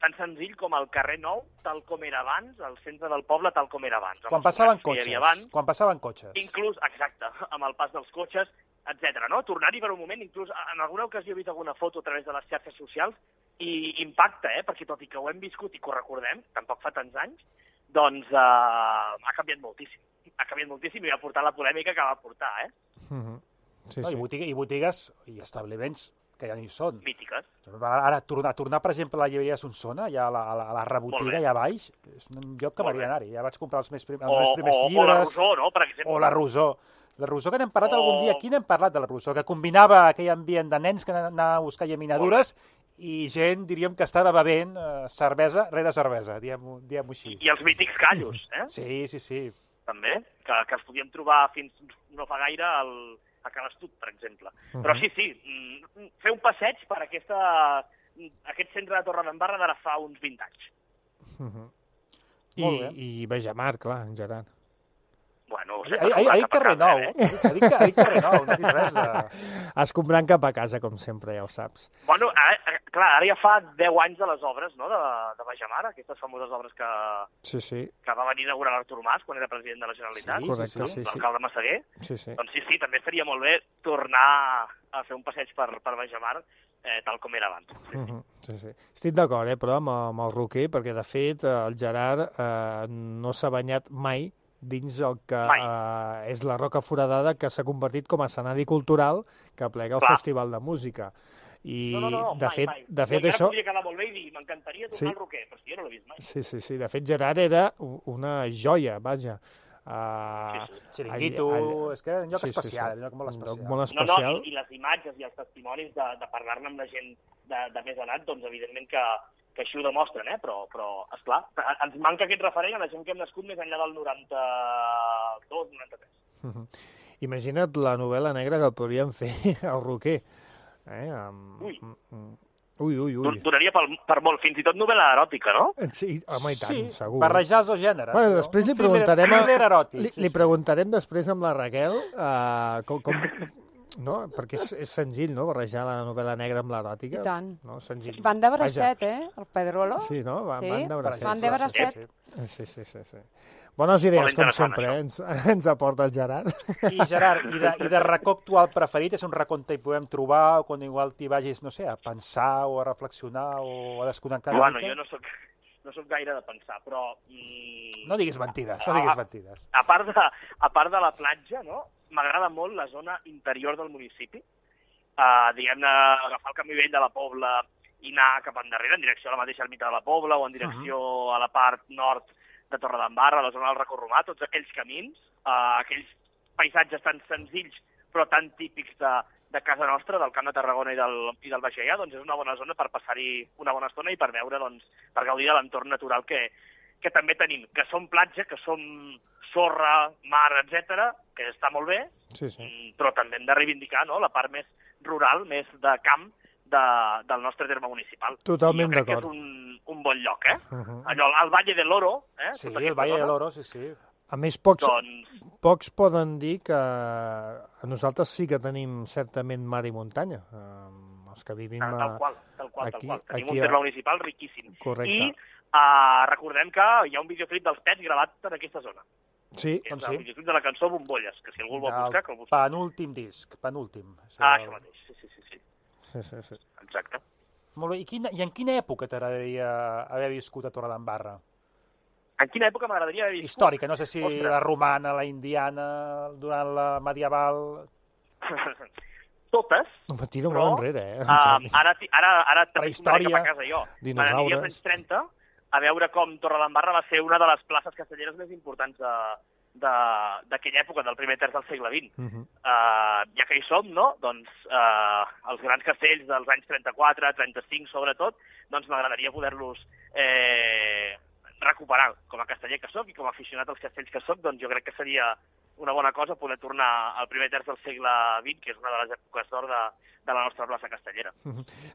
tan senzill com el carrer Nou, tal com era abans, el centre del poble, tal com era abans. Quan passaven cotxes, abans, quan passaven cotxes. Inclús, exacte, amb el pas dels cotxes, etcètera. No? Tornar-hi per un moment, inclús en alguna ocasió he vist alguna foto a través de les xarxes socials, i impacta, eh? Perquè tot i que ho hem viscut i que ho recordem, tampoc fa tants anys, doncs uh, ha canviat moltíssim. Ha canviat moltíssim i va portar la polèmica que va portar, eh? Uh-huh. Sí, no, sí. I, botigues, I botigues i establiments que ja no hi són. Mítiques. Ara, tornar, tornar per exemple, a la llibreria Solsona, ja a la, a la, a la rebotiga, allà baix, és un lloc que m'hauria d'anar-hi. Ja vaig comprar els meus, prim, els o, meus primers o, llibres. O la Rosó, no?, per exemple. O la Rosó. La Rosó, que n'hem parlat o... algun dia. Aquí n'hem parlat de la Rosó, que combinava aquell ambient de nens que anaven a buscar llaminadures i gent, diríem, que estava bevent eh, cervesa rere cervesa, diguem-ho diguem així. I, I els mítics callos, eh? Sí, sí, sí. També, que, que els podíem trobar fins no fa gaire al, a Calastut, per exemple. Uh-huh. Però sí, sí, fer un passeig per aquesta, aquest centre de Torre d'Embarra d'ara fa uns vint anys. Uh-huh. Molt bé. I, i Baixamar, clar, en Gerard. Bueno, Ha dit carrer nou, eh? ha dit carrer nou, no ha dit res de... Has comprant cap a casa, com sempre, ja ho saps. Bueno, ara, clar, ara ja fa deu anys de les obres, no?, de, de Baixamar, aquestes famoses obres que, Sí, sí, que va venir a inaugurar l'Artur Mas quan era president de la Generalitat, Sí, correcte, sí, sí, sí. l'alcalde Massaguer. sí, sí. Doncs sí, sí, també estaria molt bé tornar a fer un passeig per, per Baixamar, eh, tal com era abans. Sí, sí. Mhm, sí, sí. Estic d'acord, eh, però amb, amb el Roquer, perquè de fet eh, el Gerard eh, no s'ha banyat mai dins el que eh, és la Roca Foradada, que s'ha convertit com a escenari cultural que plega el Clar. Festival de Música. I No, no, no, de mai, fet, mai. de fet Jo això... podria quedar molt bé i dir, m'encantaria tornar Sí. al Roquer, però si jo no l'he vist mai. Sí, sí, sí. De fet, Gerard era u- una joia, vaja. Uh, Sí, sí. Xiringuito, és que és un lloc especial, un lloc molt Un especial. lloc molt No, especial. no, i, i les imatges i els testimonis de, de parlar-ne amb la gent de, de més edat, doncs evidentment que, que així ho demostren, eh? Però, però esclar, ens manca aquest referent a la gent que hem nascut més enllà del noranta-dos noranta-tres. Mhm. Imagina't la novel·la negra que podríem fer al Roquer. Eh? Amb... Ui. Ui, ui, ui. Donaria per, per molt, fins i tot novel·la eròtica, no? Sí, home, i tant, Sí, segur. barrejar els dos gèneres. Bueno, no? després li Un thriller- preguntarem a- thriller eròtic, Li, sí, li sí. preguntarem després amb la Raquel uh, com, com, no? Perquè és, és senzill, no?, barrejar la novel·la negra amb l'eròtica. I tant. No? Senzill. Van de Vaja. bracet, eh? El Pedrolo. Sí, no? Van, Sí, van de bracet. van de bracet. Sí, Sí, sí, sí, sí. Bones idees, Molt com interessant, sempre, eh? ens, ens aporta el Gerard. I Gerard, i de, i de racó actual preferit, és un racó on hi podem trobar, o quan igual t'hi vagis, no sé, a pensar o a reflexionar o a desconnectar una Bueno, mica? jo no soc, no soc gaire de pensar, però... Mm, No diguis mentides, no diguis mentides. a part de, a part de la platja, no? M'agrada molt la zona interior del municipi. Uh, diguem-ne, agafar el camí vell de la Pobla i anar cap endarrere, en direcció a la mateixa ermita de la Pobla o en direcció uh -huh. a la part nord de Torredembarra, a la zona del Racó Romà, tots aquells camins, uh, aquells paisatges tan senzills però tan típics de, de casa nostra, del Camp de Tarragona i del, i del Baix Gaià, doncs és una bona zona per passar-hi una bona estona i per veure, doncs, per gaudir de l'entorn natural que, que també tenim, que som platja, que som sorra, mar, etcètera, que està molt bé, Sí, sí. mm, però també hem de reivindicar, no?, la part més rural, més de camp de, del nostre terme municipal. Totalment I jo crec que d'acord. és un, un bon lloc, eh? Uh -huh. Allò, el Valle del Oro, eh? Sí, tota el aquesta Valle de zona, l'Oro, sí, sí. A més, pocs, Doncs, pocs poden dir que a nosaltres sí que tenim certament mar i muntanya. Um, els que vivim tal, a... tal qual, tal qual, aquí- tal qual. Tenim aquí un terme a- municipal riquíssim. Correcte. I uh, recordem que hi ha un videoclip dels Pets gravat en aquesta zona. Sí, Que Doncs és sí. el videoclip de la cançó Bombolles, que si algú el vol buscar, que el busqui. penúltim disc, penúltim. Sí, Ah, el- això mateix, sí, sí, sí, sí. sí, sí, sí. Exacte. Molt bé, i, quina, i en quina època t'agradaria haver viscut a Torredembarra? En quina època m'agradaria haver viscut? Històrica, no sé si Ostres. la romana, la indiana, durant la medieval... Totes. Home, tira Però, molt enrere, eh? Um, ara, ti- ara, ara també Prehistòria, tornaré cap a casa jo. dinosaures. M'agradaria als anys trenta a veure com Torredembarra va ser una de les places castelleres més importants de de- d'aquella època, del primer terç del segle vint. Uh -huh. Uh, ja que hi som, no? Doncs uh, els grans castells dels anys trenta-quatre, trenta-cinc sobretot, doncs m'agradaria poder-los eh, recuperar. Com a casteller que sóc i com a aficionat als castells que sóc, doncs jo crec que seria una bona cosa poder tornar al primer terç del segle vint, que és una de les èpoques d'or de, de la nostra plaça castellera.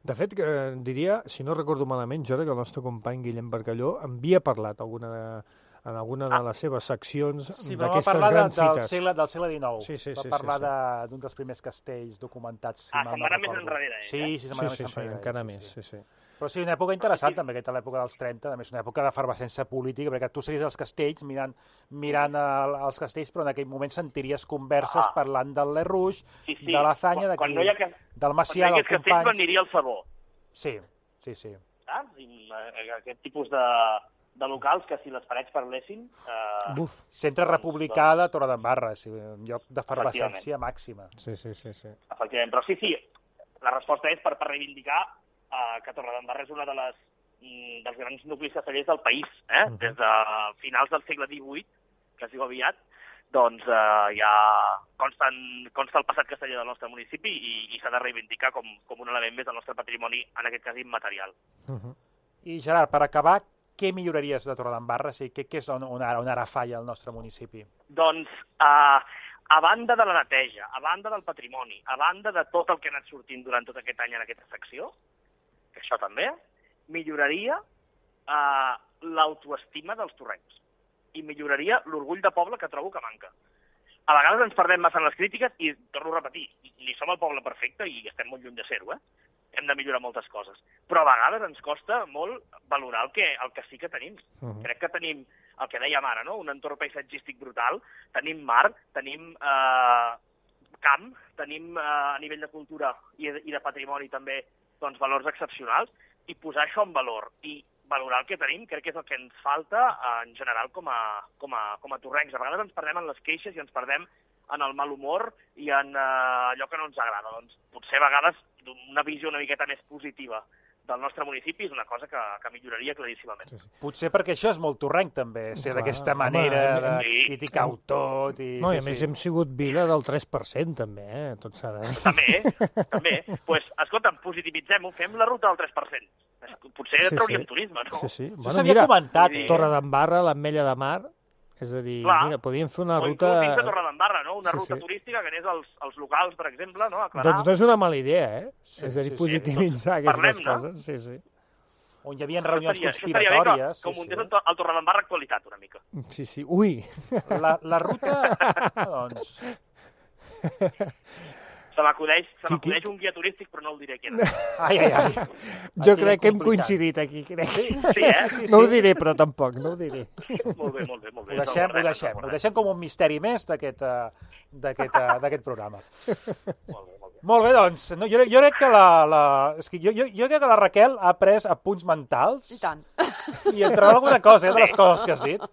De fet, que, diria, si no recordo malament, jo crec que el nostre company Guillem Barcalló havia parlat alguna de, en alguna de les seves seccions Sí, però va d'aquestes parlar de, grans del, fites. segle, del segle dinou. Sí, sí, va sí, parlar sí, de- d'un dels primers castells documentats. Si Ah, mal se'n no va anar més recordo. enrere, ell, Sí, eh? sí, se'n va Sí, anar sí, més sí, enrere. encara sí, més, sí. sí, sí. Però sí, una època interessant també, aquesta l'època dels trenta, a més una època d'efervescència política, perquè tu series als castells mirant, mirant el, els castells, però en aquell moment sentiries converses Ah. parlant del Le Rouge, Sí, sí. de l'Azanya, Quan- d'aquí, quan no hi ha que- del Macià, Quan del aquests castells Companys... m'aniria el sabó, Sí, sí, sí. saps? I, eh, aquest tipus de, de locals que si les parets parlessin... Eh, Buf, Centre republicà de Torredembarra, sí, un lloc d'efervescència Efectivament. màxima. sí, sí, sí, sí. Efectivament, però sí, sí, la resposta és per, per reivindicar eh, que Torredembarra és una de les mm, dels grans nuclis castellers del país, eh? Mhm. Des de finals del segle divuit, que es diu aviat, doncs eh, ja consten, consta el passat casteller del nostre municipi i, i s'ha de reivindicar com, com un element més del nostre patrimoni, en aquest cas immaterial. Uh -huh. I Gerard, per acabar, què milloraries de Torredembarra? Sí, què, què és on, on, ara, on ara falla el nostre municipi? Doncs, eh, a banda de la neteja, a banda del patrimoni, a banda de tot el que ha anat sortint durant tot aquest any en aquesta secció, que això també, milloraria uh, l'autoestima dels torrencs i milloraria l'orgull de poble que trobo que manca. A vegades ens perdem massa en les crítiques i, torno a repetir, ni som el poble perfecte i estem molt lluny de ser-ho, eh? Hem de millorar moltes coses. Però a vegades ens costa molt valorar el que, el que sí que tenim. Uh -huh. Crec que tenim, el que dèiem ara, no? Un entorn paisatgístic brutal, tenim mar, tenim eh, camp, tenim eh, a nivell de cultura i, i de patrimoni també doncs, valors excepcionals, i posar això en valor i valorar el que tenim crec que és el que ens falta eh, en general com a, com, a, com a torrencs. A vegades ens perdem en les queixes i ens perdem en el mal humor i en eh, allò que no ens agrada. Doncs potser a vegades una visió una miqueta més positiva del nostre municipi és una cosa que, que milloraria claríssimament. Sí, sí. Potser perquè això és molt torrenc, també, ser d'aquesta manera home, de sí. criticar-ho tot. I, no, i sí, a més sí. hem sigut vila del tres per cent, també, eh? Tot s'ha de... També, també. Doncs, pues, escolta'm, positivitzem-ho, fem la ruta del tres per cent. Potser sí, trauríem sí. turisme, no? Sí, sí. Això Bueno, s'havia mira, comentat, eh? Torredembarra, l'Ametlla de Mar, és a dir, Clar. mira, podríem fer una o ruta... O inclús dins de Torredembarra, no? Una sí, ruta sí. turística que anés als, als locals, per exemple, no? A Clarà. Doncs no és una mala idea, eh? Sí, és a dir, sí, positivitzar sí. aquestes Parlem, coses. Sí, sí. On hi havia reunions estaria, conspiratòries. Que, que sí, muntés sí. el Torredembarra actualitat, una mica. Sí, sí. Ui! La, la ruta, doncs... Se m'acudeix Qui, qui? un guia turístic, però no el diré qui és. Ai, ai, ai. Jo Aquí crec que hem complicat. coincidit aquí, crec. Sí, eh? Sí, sí, No ho sí. diré, però tampoc, no ho diré. Molt bé, molt bé. Molt bé. Ho deixem, ho deixem, ho deixem com un misteri més d'aquest eh, d'aquest eh, d'aquest programa. Molt bé, molt bé. Molt bé, doncs, no, jo, jo crec que la, la, és que jo, jo, jo crec que la Raquel ha pres apunts mentals I tant. i entre alguna cosa, eh, de les coses que has dit.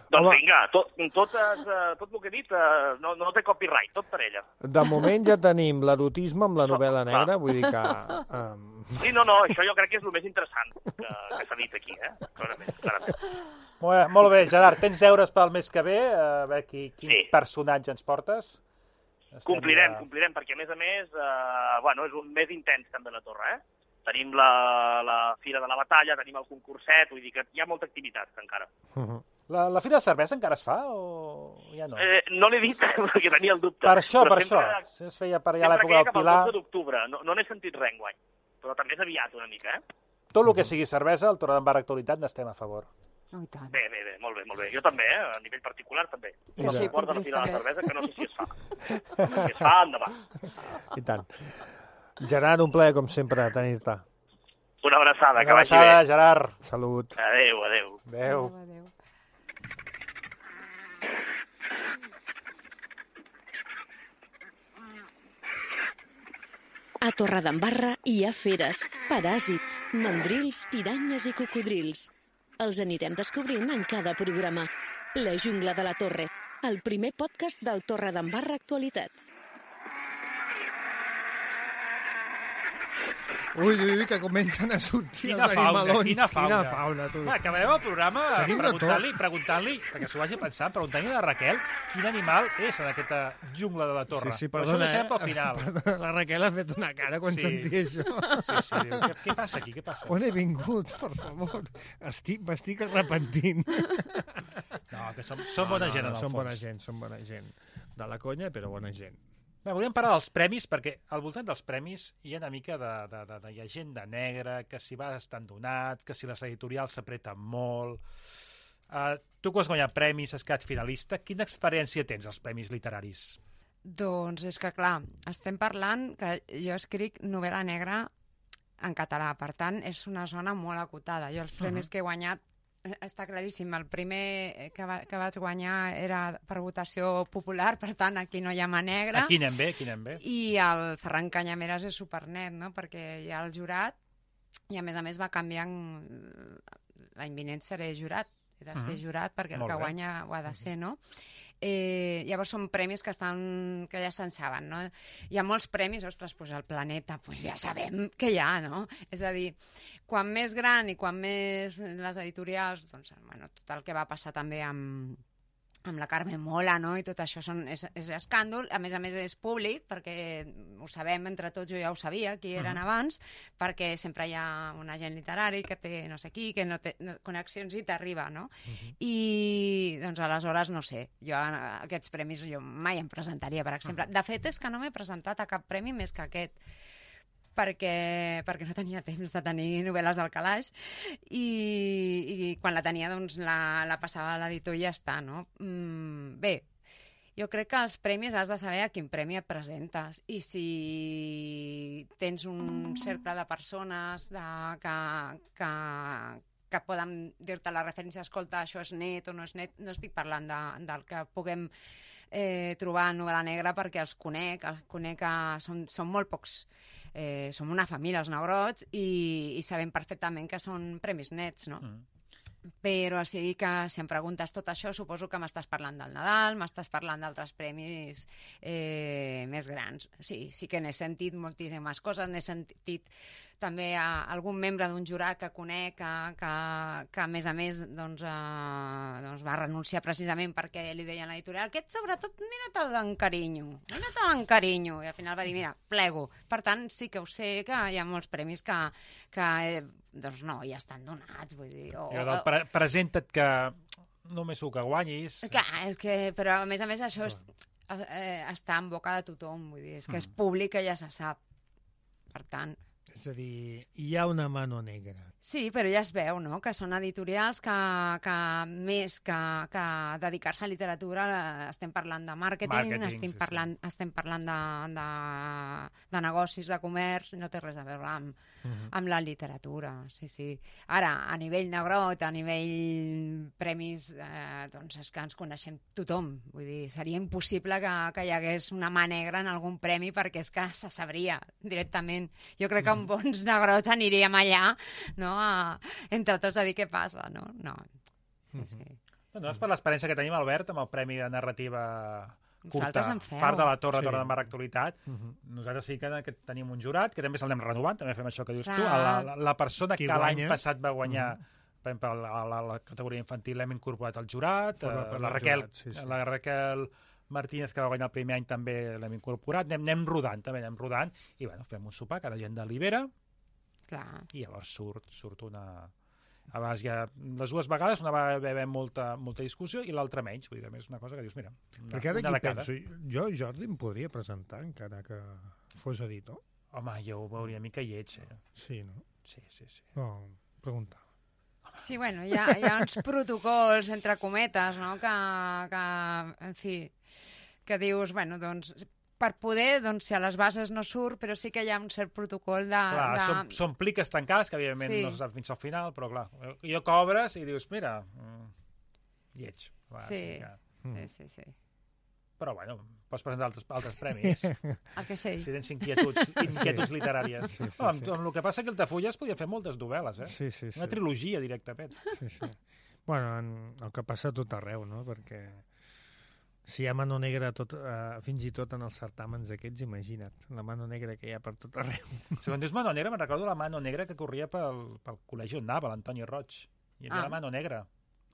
Doncs Home. vinga, tot, tot, es, eh, tot el que he dit eh, no, no té copyright, tot per ella. De moment ja tenim l'erotisme amb la novel·la Clar. negra, vull dir que... Um... Sí, no, no, això jo crec que és el més interessant que, que s'ha dit aquí, eh? Clarament, clarament. Molt bé, molt bé, Gerard, tens deures pel mes que ve, a veure qui, quin Sí. personatge ens portes. Estem Complirem, ja- complirem, perquè a més a més, eh, bueno, és un mes intens també la Torre, eh? Tenim la, la Fira de la Batalla, tenim el concurset, vull dir que hi ha molta activitat encara. Uh -huh. La, la Fira de Cervesa encara es fa o ja no? Eh, no l'he dit perquè tenia el dubte. Per això, però per sempre, això. Si es feia per allà a Sempre l'època queia del cap al Pilar. dotze d'octubre, no, no n'he sentit res enguany, però també és aviat una mica, eh? Tot el que sigui cervesa, el Torredembarra Actualitat, n'estem a favor. Oh, i tant. Bé, bé, bé, molt bé, molt bé. Jo també, eh? A nivell particular també. I El tant. suport de la Fira de la També. Cervesa, que no sé si es fa. Si es fa, endavant. I tant. Gerard, un plaer, com sempre, tenir-te. Una abraçada, que Una vagi abraçada, bé. Gerard. Salut. Adéu, adéu. Adéu. Adéu. A Torredembarra hi ha feres, paràsits, mandrils, piranyes i cocodrils. Els anirem descobrint en cada programa. La jungla de la Torre, el primer podcast del Torredembarra Actualitat. Ui, ui, ui, que comencen a sortir Quina els fauna, animalons. quina fauna. Quina fauna, tu. Va, acabarem el programa Tenim de preguntant-li, preguntant-li, perquè s'ho vagi pensant, preguntant-li a la Raquel quin animal és en aquesta jungla de la Torre. Sí, sí, Però perdona, això ho deixem eh? pel final. Perdona, la Raquel ha fet una cara quan Sí. sentia això. Sí, sí, diu, què, què passa aquí, què passa? On he vingut, per favor? Estic, m'estic arrepentint. No, que som, som bona gent, en el Som fons. bona gent, som bona gent. De la conya, però bona gent. Bé, volíem parlar dels premis, perquè al voltant dels premis hi ha una mica de, de, de, de llegenda negra, que si vas estan donat, que si les editorials s'apreten molt... Uh, tu que has guanyat premis, has quedat finalista, quina experiència tens als premis literaris? Doncs és que, clar, estem parlant que jo escric novel·la negra en català, per tant, és una zona molt acotada. Jo els premis uh -huh. que he guanyat està claríssim. El primer que, va, que vaig guanyar era per votació popular, per tant, aquí no hi ha mà negra. Aquí anem bé, aquí anem bé. I el Ferran Canyameres és supernet, no?, perquè hi ha el jurat i, a més a més, va canviant... L'any vinent seré jurat. He de ser Mhm. jurat perquè el Molt que bé. guanya ho ha de ser, no? Eh, llavors són premis que estan que ja se'n saben, no? Hi ha molts premis, ostres, doncs el planeta, doncs ja sabem que hi ha, no? És a dir, quan més gran i quan més les editorials, doncs, bueno, tot el que va passar també amb, amb la Carme Mola, no?, i tot això són, és, és escàndol, a més a més és públic, perquè ho sabem entre tots, jo ja ho sabia, qui eren uh -huh. abans, perquè sempre hi ha un agent literari que té no sé qui, que no té no, connexions i t'arriba, no? Uh -huh. I, doncs, aleshores, no sé, jo aquests premis jo mai em presentaria, per exemple. Uh -huh. De fet, és que no m'he presentat a cap premi més que aquest, perquè, perquè no tenia temps de tenir novel·les al calaix i, i quan la tenia doncs la, la passava a l'editor i ja està, no? Mm, bé, jo crec que els premis has de saber a quin premi et presentes i si tens un cercle de persones de, que, que, que poden dir-te la referència, escolta, això és net o no és net, no estic parlant de, del que puguem eh, trobar en novel·la negra perquè els conec, els conec que són, són molt pocs, eh, som una família, els Negrots, i, i sabem perfectament que són premis nets, no? Mm. Però sí que si em preguntes tot això, suposo que m'estàs parlant del Nadal, m'estàs parlant d'altres premis eh, més grans. Sí, sí que n'he sentit moltíssimes coses, n'he sentit també a algun membre d'un jurat que conec que, que, que a més a més doncs, eh, doncs va renunciar precisament perquè li deien a l'editorial aquest sobretot mira-te'l d'encarinyo, mira-te'l d'encarinyo, i al final va dir mira, plego. Per tant, sí que ho sé que hi ha molts premis que, que eh, doncs no, ja estan donats, vull dir... O, jo del pre presenta't que només ho que guanyis... Clar, és que, però a més a més això és, eh, està en boca de tothom, vull dir, és que és públic que ja se sap. Per tant... És a dir, hi ha una mano negra. Sí, però ja es veu, no?, que són editorials que, que més que, que dedicar-se a literatura estem parlant de màrqueting, Marketing, estem, sí, parlant, sí. estem parlant de, de, de negocis, de comerç, no té res a veure amb, uh -huh. amb la literatura, sí, sí. Ara, a nivell Negrot, a nivell premis, eh, doncs és que ens coneixem tothom, vull dir, seria impossible que, que hi hagués una mà negra en algun premi perquè és que se sabria directament. Jo crec que amb bons Negrots aniríem allà, no?, a, entre tots a dir què passa, no? No, sí, sí. Doncs per l'experiència que tenim, Albert, amb el Premi de Narrativa curta, Far de la Torre, sí. Torre d'Embarra Actualitat, uh -huh. nosaltres sí que, que tenim un jurat, que també se'l renovant, també fem això que dius tu. La, la, la persona Qui que l'any passat va guanyar, uh -huh. per exemple, la, la, la categoria infantil l'hem incorporat al jurat, uh, la, Raquel, jurat sí, sí. la Raquel Martínez, que va guanyar el primer any, també l'hem incorporat, anem, anem rodant, també anem rodant, i bueno, fem un sopar que la gent delibera, clar. I llavors surt, surt una... Abans ja, les dues vegades una va haver molta, molta discussió i l'altra menys, vull dir, és una cosa que dius, mira, una, perquè ara una aquí penso, jo, Jordi, em podria presentar encara que fos editor? Home, jo ho veuria mica lleig, eh? Sí, no? Sí, sí, sí. No, preguntava. Sí, bueno, hi ha, hi ha uns protocols, entre cometes, no?, que, que, en fi, que dius, bueno, doncs... per poder, doncs, si a les bases no surt, però sí que hi ha un cert protocol de... Clar, de... Són, són pliques tancats, que evidentment sí. no se sap fins al final, però clar, jo cobres i dius, mira, mm, lleig. Va, sí. Sí, sí, sí, sí. Però, bueno, pots presentar altres, altres premis. El que sé. Si tens inquietuds, inquietuds sí. literàries. Sí, sí, oh, amb, sí. amb el que passa que el Tafulla es podia fer moltes novel·les, eh? Sí, sí, sí. Una trilogia, directament. Sí, sí. Bueno, en, el que passa a tot arreu, no?, perquè... Si hi ha mano negra tot, uh, fins i tot en els certàmens aquests, imagina't, la mano negra que hi ha per tot arreu. Si quan dius mano negra, me'n recordo la mano negra que corria pel, pel col·legi on anava, l'Antoni Roig. Hi havia ah. la mano negra.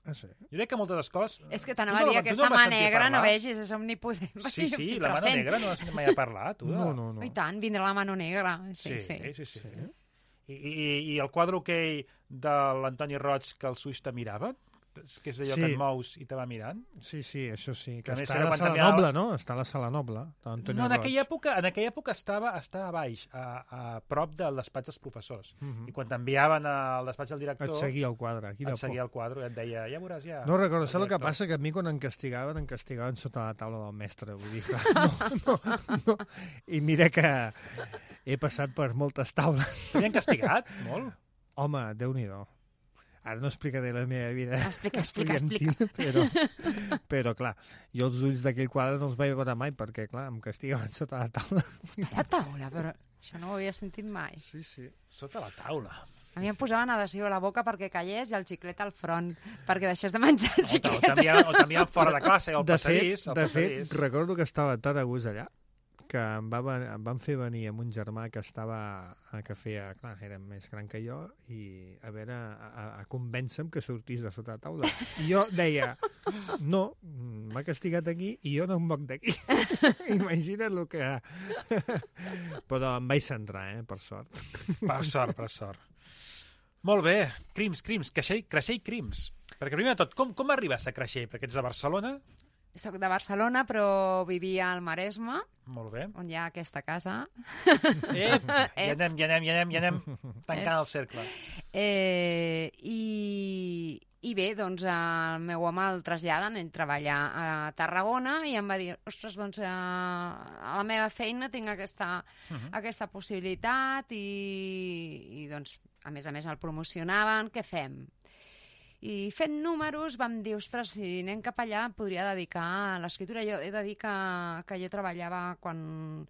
Ah, sí? Jo crec que moltes escoles... És que t'anava a dir, aquesta mà negra, no vegis, és omnipotent. Sí, sí, la mano negra no has mai a parlar, tu. No, no, no. I tant, vindrà la mano negra. Sí, sí, sí. sí. sí, sí. I, i, I el quadre aquell de l'Antoni Roig que els ulls te miraven? Que és allò sí. que et mous i te va mirant? Sí, sí, això sí. Que, que està a la Sala canviava... Noble, no? Està a la Sala Noble. No, en aquella època, en aquella època estava, estava a baix, a, a prop del despatx dels professors. Uh -huh. I quan t'enviaven al despatx del director... Et seguia el quadre. Aquí et seguia el quadre i et deia, ja veuràs ja... No recordo, saps el que passa? Que a mi quan em castigaven, em castigaven sota la taula del mestre. Vull dir, no, no, no. I mira que he passat per moltes taules. T'havien castigat? Molt? Home, Déu-n'hi-do. Ara no explicaré la meva vida explica, explica, explica. Però, però, clar, jo els ulls d'aquell quadre no els vaig veure mai perquè, clar, em castigaven sota la taula. Sota la taula? Però això no ho havia sentit mai. Sí, sí. Sota la taula. A mi em posaven adhesiu a la boca perquè callés i el xiclet al front, perquè deixés de menjar el xiclet. O t'enviaven fora de classe, al de passadís. Fet, de fet, recordo que estava tan a gust allà que em, va, em van fer venir amb un germà que estava, que feia, clar, era més gran que jo, i a veure, a, a convèncer-me que sortís de sota la taula. I jo deia, no, m'ha castigat aquí i jo no em moc d'aquí. Imagina't el que... Però em vaig centrar, eh, per sort. Per sort, per sort. Molt bé, Crims, Crims, Creixell, Creixell Crims. Perquè primer de tot, com, com arribes a Creixell? Perquè ets de Barcelona soc de Barcelona, però vivia al Maresme, Molt bé. on hi ha aquesta casa. Ep, ja anem, ja anem, ja anem, ja anem tancant el cercle. Eh, i, I bé, doncs el meu home el traslladen, ell treballa a Tarragona i em va dir, ostres, doncs a, a la meva feina tinc aquesta, uh -huh. aquesta possibilitat i, i doncs a més a més el promocionaven, què fem? I fent números vam dir, ostres, si anem cap allà podria dedicar a l'escriptura. Jo he de dir que, que jo treballava quan,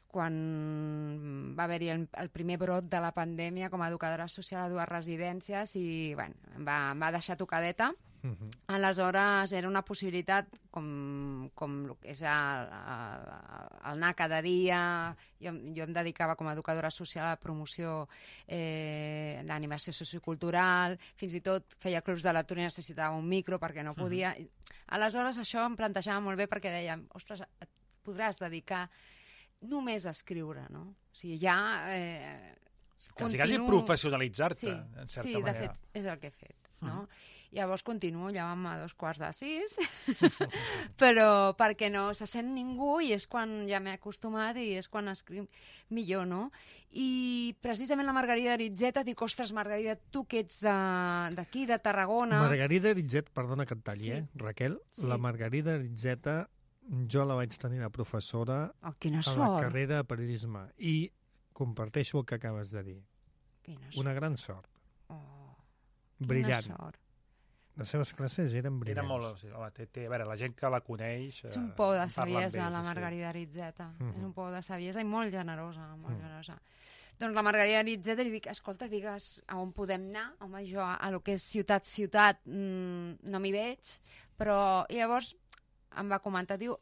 quan va haver-hi el, el primer brot de la pandèmia com a educadora social a dues residències i bueno, em, va, em va deixar tocadeta. Uh-huh. Aleshores era una possibilitat com, com el que és el, el, el anar cada dia. Jo, jo em dedicava com a educadora social a la promoció eh, d'animació sociocultural, fins i tot feia clubs de lectura i necessitava un micro perquè no podia. Uh-huh. Aleshores això em plantejava molt bé perquè dèiem, ostres, et podràs dedicar només a escriure, no? O sigui, ja... Eh, quasi, quasi professionalitzar-te, sí, en certa sí, manera. Sí, de fet, és el que he fet, no? Uh-huh. Llavors continuo, ja vam a dos quarts de sis, però perquè no se sent ningú i és quan ja m'he acostumat i és quan escric millor, no? I precisament la Margarida Aritzeta, dic, ostres, Margarida, tu que ets d'aquí, de, de Tarragona... Margarida Aritzeta, perdona que et talli, sí. eh, Raquel? Sí. La Margarida Aritzeta, jo la vaig tenir de professora oh, quina a sort. la carrera de periodisme i comparteixo el que acabes de dir. Quina Una gran sort. Oh, brillant. Quina sort. Les seves classes eren brillants. Era molt... Sí, home, té, té, a veure, la gent que la coneix... És un pou de eh, saviesa, bé, la sí, Margarida Aritzeta. Uh -huh. És un pou de saviesa i molt generosa, molt Uh -huh. generosa. Doncs la Margarida Aritzeta li dic, escolta, digues a on podem anar. Home, jo a, a lo que és ciutat-ciutat mmm, no m'hi veig, però i llavors em va comentar, diu,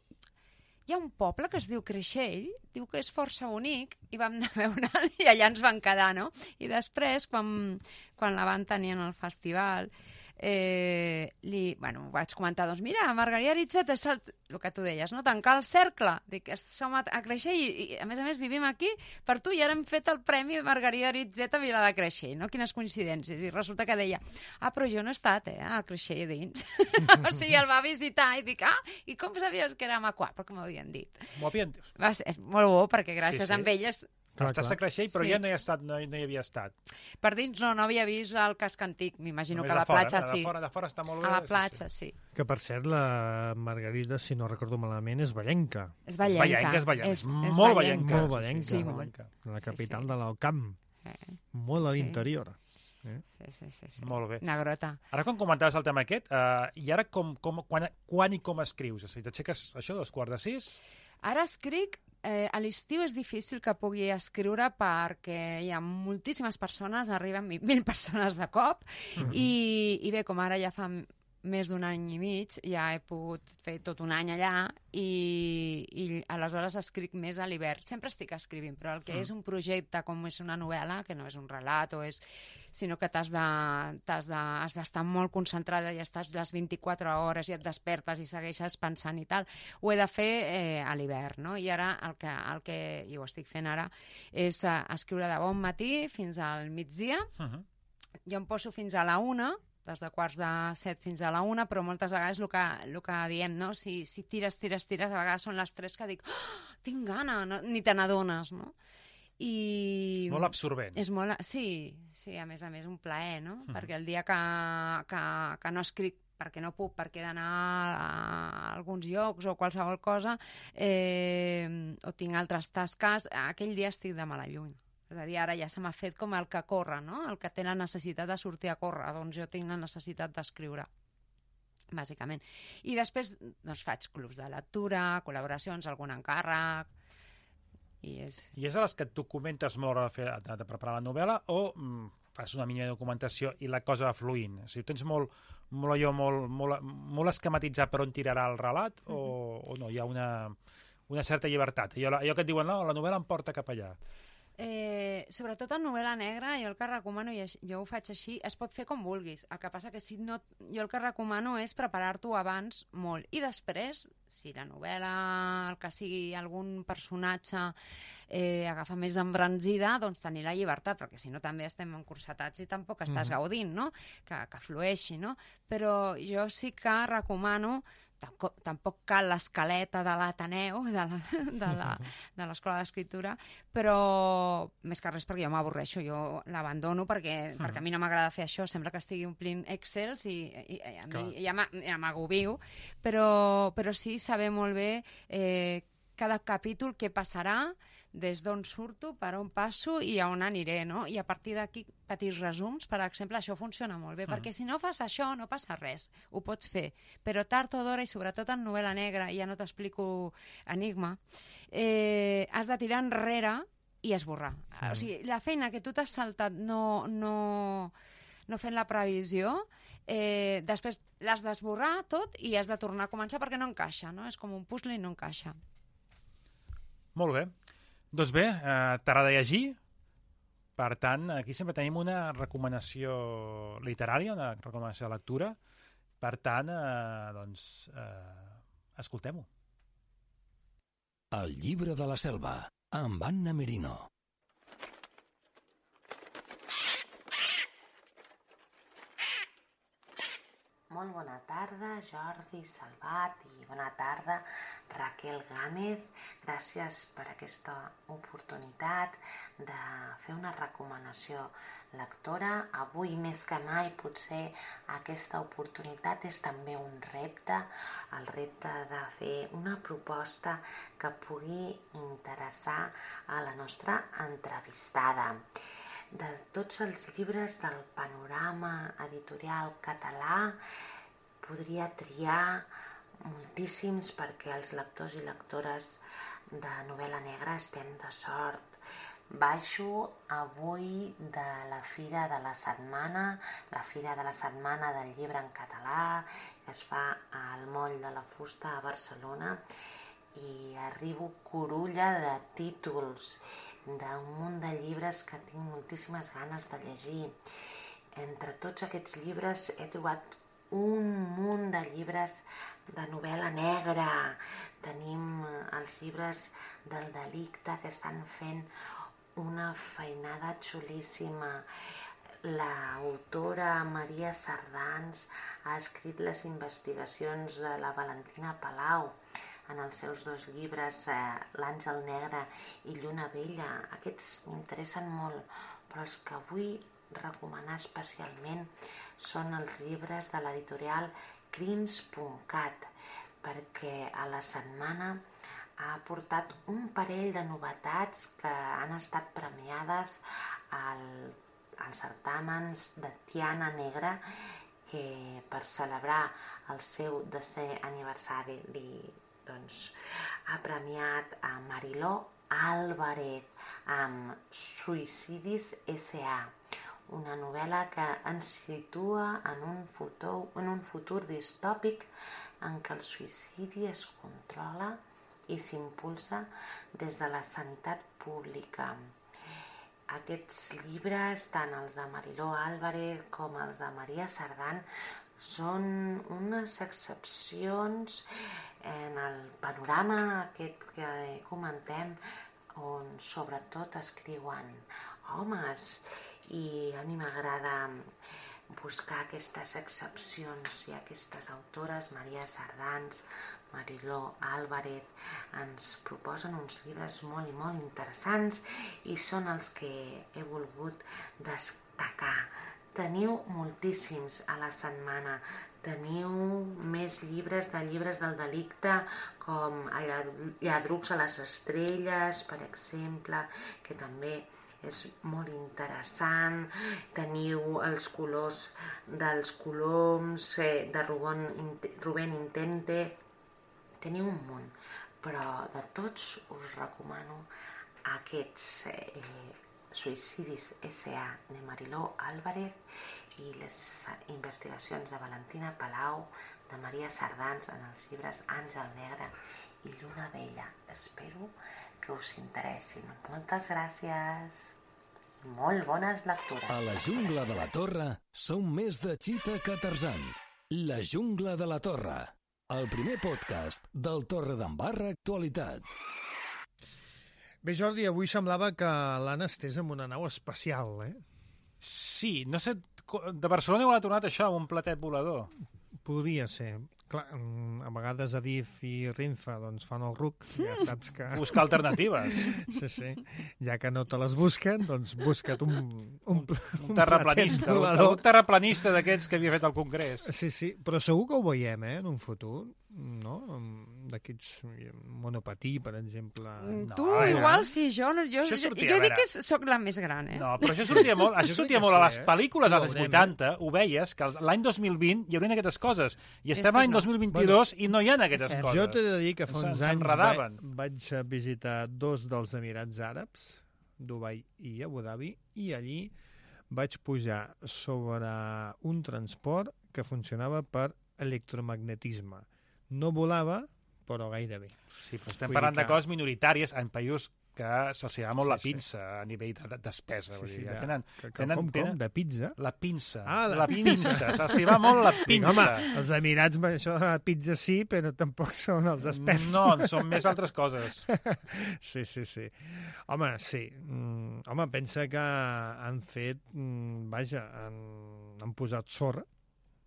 hi ha un poble que es diu Creixell, diu que és força bonic, i vam anar a veure'l i allà ens van quedar, no? I després, quan, quan la van tenir en el festival, eh, li, bueno, vaig comentar, doncs mira, Margarida Aritzeta és el, el que tu deies, no? Tancar el cercle, dic, som a, a Creixell i, i a més a més vivim aquí per tu i ara hem fet el premi de Margarida Aritzeta a Vila de Creixell, no? Quines coincidències. I resulta que deia, ah, però jo no he estat, eh, a Creixell dins. O sigui, el va visitar i dic, ah, i com sabies que érem a Quart? Perquè m'ho havien dit. M'ho havien dit. Va ser, és molt bo, perquè gràcies sí, sí. a elles... Clar, Estàs clar. a Creixell, però Sí. jo no hi, he estat, no, no hi havia estat. Per dins no, no havia vist el casc antic, m'imagino Només que a la de fora, platja de sí. fora, de fora està molt bé. A la sí, platja, sí. sí. Que, per cert, la Margarida, si no recordo malament, és ballenca. És És ballenca. ballenca, és ballenca. És, És és molt ballenca. ballenca. Molt ballenca. Sí, molt molt. ballenca. La capital sí. de l'Alcamp. Eh, Molt a Sí. l'interior. Eh? sí, sí, sí, sí. Molt bé. Negrota. Ara, quan comentaves el tema aquest, eh, i ara com, com, quan, quan i com escrius? O sigui, t'aixeques, això, dos quarts de sis? Ara escric, eh, a l'estiu és difícil que pugui escriure perquè hi ha moltíssimes persones, arriben mil persones de cop, Mhm. i, i bé, com ara ja fa més d'un any i mig, ja he pogut fer tot un any allà i, i aleshores escric més a l'hivern. Sempre estic escrivint, però el que Mm. és un projecte com és una novel·la, que no és un relat, o és, sinó que t'has de, t'has de, has d'estar molt concentrada i estàs les vint-i-quatre hores i et despertes i segueixes pensant i tal, ho he de fer eh, a l'hivern, no? I ara el que, el que, i ho estic fent ara, és eh, escriure de bon matí fins al migdia. Uh -huh. Jo em poso fins a la una, des de quarts de set fins a la una, però moltes vegades el que, el que diem, no? Si, si tires, tires, tires, a vegades són les tres que dic, oh, tinc gana, no? Ni te n'adones, no? I... És molt absorbent. És molt... Sí, sí, a més a més un plaer, no? Mhm. Perquè el dia que, que, que no escric perquè no puc, perquè he d'anar a alguns llocs o qualsevol cosa, eh, o tinc altres tasques, aquell dia estic de mala lluny. És a dir, ara ja se m'ha fet com el que corre, no? El que té la necessitat de sortir a córrer. Doncs jo tinc la necessitat d'escriure, bàsicament. I després doncs, faig clubs de lectura, col·laboracions, algun encàrrec, i és... I és a les que tu comentes molt a fer, de, de preparar la novel·la o mm, fas una mínima documentació i la cosa va fluint? O sigui, tens molt, molt allò, molt, molt, molt esquematitzat per on tirarà el relat o, uh-huh. o no? Hi ha una, una certa llibertat? Allò, allò que et diuen, no, la novel·la em porta cap allà. Eh, sobretot en novel·la negra, jo el que recomano, i jo ho faig així, es pot fer com vulguis. El que passa que si no, jo el que recomano és preparar-t'ho abans molt. I després, si la novel·la, el que sigui algun personatge eh, agafa més embranzida, doncs tenir la llibertat, perquè si no també estem encursetats i tampoc estàs Mhm. gaudint, no? Que, que flueixi, no? Però jo sí que recomano tampoc, tampoc cal l'escaleta de l'Ateneu, de la, de la, de l'Escola d'Escriptura, però més que res perquè jo m'avorreixo, jo l'abandono perquè, uh -huh. perquè a mi no m'agrada fer això, sembla que estigui omplint Excels i, i, i a mi ja m'agobio, però, però sí saber molt bé eh, cada capítol què passarà, des d'on surto, per on passo i a on aniré, no? I a partir d'aquí, petits resums, per exemple, això funciona molt bé, mm. perquè si no fas això no passa res, ho pots fer, però tard o d'hora, i sobretot en novel·la negra, ja no t'explico Enigma, eh, has de tirar enrere i esborrar. Mm. O sigui, la feina que tu t'has saltat no, no, no fent la previsió, eh, després l'has d'esborrar tot i has de tornar a començar perquè no encaixa, no? És com un puzzle i no encaixa. Molt bé. Doncs bé, eh, t'agrada llegir, per tant, aquí sempre tenim una recomanació literària, una recomanació de lectura, per tant, eh, doncs, eh, escoltem-ho. El llibre de la selva, amb Anna Merino. Molt bona tarda, Jordi Salvat, i bona tarda, Raquel Gámez. Gràcies per aquesta oportunitat de fer una recomanació lectora. Avui, més que mai, potser aquesta oportunitat és també un repte, el repte de fer una proposta que pugui interessar a la nostra entrevistada. De tots els llibres del panorama editorial català podria triar moltíssims perquè els lectors i lectores de novel·la negra estem de sort. Baixo avui de la Fira de la Setmana, la Fira de la Setmana del Llibre en Català, que es fa al Moll de la Fusta a Barcelona, i arribo curulla de títols, d'un munt de llibres que tinc moltíssimes ganes de llegir. Entre tots aquests llibres he trobat un munt de llibres de novel·la negra. Tenim els llibres del delicte que estan fent una feinada xulíssima. L'autora Maria Sardans ha escrit les investigacions de la Valentina Palau en els seus dos llibres, eh, L'Àngel Negre i Lluna Vella. Aquests m'interessen molt, però els que vull recomanar especialment són els llibres de l'editorial crims punt cat, perquè a la setmana ha portat un parell de novetats que han estat premiades al, als certàmens de Tiana Negra, que per celebrar el seu desè aniversari doncs, ha premiat a Mariló Álvarez amb Suïcidis essa a, una novel·la que ens situa en un futur, en un futur distòpic en què el suïcidi es controla i s'impulsa des de la sanitat pública. Aquests llibres, tant els de Mariló Álvarez com els de Maria Sardán, són unes excepcions en el panorama aquest que comentem, on sobretot escriuen homes, i a mi m'agrada buscar aquestes excepcions, i aquestes autores, Maria Sardans, Mariló Álvarez, ens proposen uns llibres molt i molt interessants i són els que he volgut destacar. Teniu moltíssims a la setmana. Teniu més llibres de llibres del delicte, com Lladrucs a les estrelles, per exemple, que també és molt interessant. Teniu Els colors dels coloms, de Rubén Intente. Teniu un munt, però de tots us recomano aquests eh, Suïcidis essa a de Mariló Álvarez i les investigacions de Valentina Palau, de Maria Sardans, en els llibres Àngel Negre i Lluna Vella. Espero que us interessin. Moltes gràcies. Molt bones lectures. A la jungla de la Torre som més de Chita que Tarzan. La jungla de la Torre, el primer podcast del Torredembarra Actualitat. Bé, Jordi, avui semblava que l'han estès amb una nau espacial, eh? Sí, no sé, de Barcelona heu tornat això, amb un platet volador. podria ser. Clar, a vegades Adif i Renfe doncs, fan el ruc, ja saps que... Buscar alternatives. Sí, sí. Ja que no te les busquen, doncs busca't un... Un, un terraplanista, un, un terraplanista d'aquests que havia fet el Congrés. Sí, sí, però segur que ho veiem, eh, en un futur, no? D'aquests monopatí, per exemple. Tu, no, igual, ja. sí, jo, no, jo, sortia, jo, jo dic que sóc la més gran, eh? No, però això sortia molt, això sortia molt a les pel·lícules dels anys vuitanta, eh? ho veies, que l'any dos mil vint hi haurien aquestes coses, i estem Després l'any dos mil vint-i-dos bueno, i no hi ha aquestes coses. Jo t'he de dir que fa uns anys va, vaig visitar dos dels Emirats Àrabs, Dubai i Abu Dhabi, i allí vaig pujar sobre un transport que funcionava per electromagnetisme. No volava, però gairebé. Sí, però estem Vull parlant que... de coses minoritàries en països que se'ls va molt sí, la pinça sí. a nivell de, de despesa. Sí, sí, dir, de, tenen, que, que, tenen, com, tenen, com? De pizza? La pinça. Ah, la, la pinça. pinça. Se'ls va molt la pinça. Home, els Emirats, això de la pizza sí, però tampoc són els experts. No, són més altres coses. Sí, sí, sí. Home, sí. Mm, home, pensa que han fet... Mm, vaja, han, han posat sorra.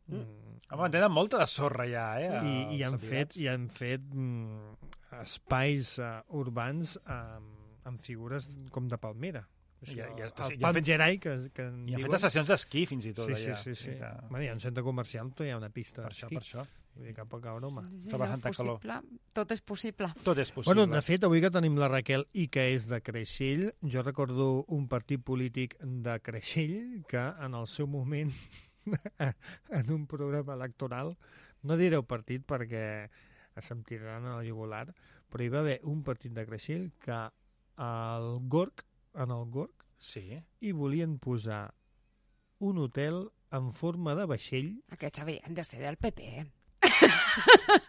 Mm. Home, tenen molta de sorra ja, eh? I, i, han fet, i han fet mm, espais uh, urbans amb, amb figures com de palmera. Això, ja, ja està, el Palm fet, Gerai, que, que en I han diuen. fet estacions d'esquí fins i tot sí, allà. Sí, sí, sí. Que... Bueno, hi ha un centre comercial, però hi ha una pista d'esquí. Per això, per això. Vull dir que poca broma. Sí, no, possible. Tot és possible. Tot és possible. Bueno, de fet, avui que tenim la Raquel i que és de Creixell, jo recordo un partit polític de Creixell que en el seu moment, en un programa electoral, no direu partit perquè se'm tiraran a la jugular, però hi va haver un partit de Creixell que al Gorg, en el Gorg, sí. hi volien posar un hotel en forma de vaixell. Aquests haurien de ser del P P, eh?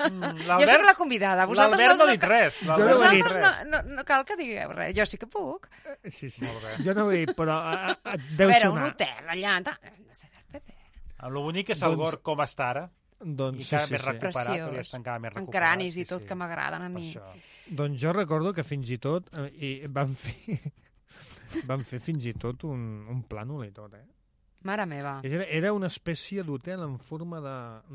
Mm, jo soc la convidada. L'Albert no ha dit res. Vosaltres no, no, no cal que digueu res. Jo sí que puc. Sí, sí. Jo no ho he dit, però uh, deu a veure, sonar. Un hotel allà... Hem de ser del P P. Amb lo bonic és el doncs, Gorg com està ara. Doncs, I cada sí, més sí, recuperat, sí. hauria d'estar encara més recuperat. En cranis i tot, sí, sí. que m'agraden a mi. Doncs jo recordo que fins i tot eh, van fer van fer fins i tot un, un plànol i tot, eh? Mare meva. Era, era una espècie d'hotel en forma de,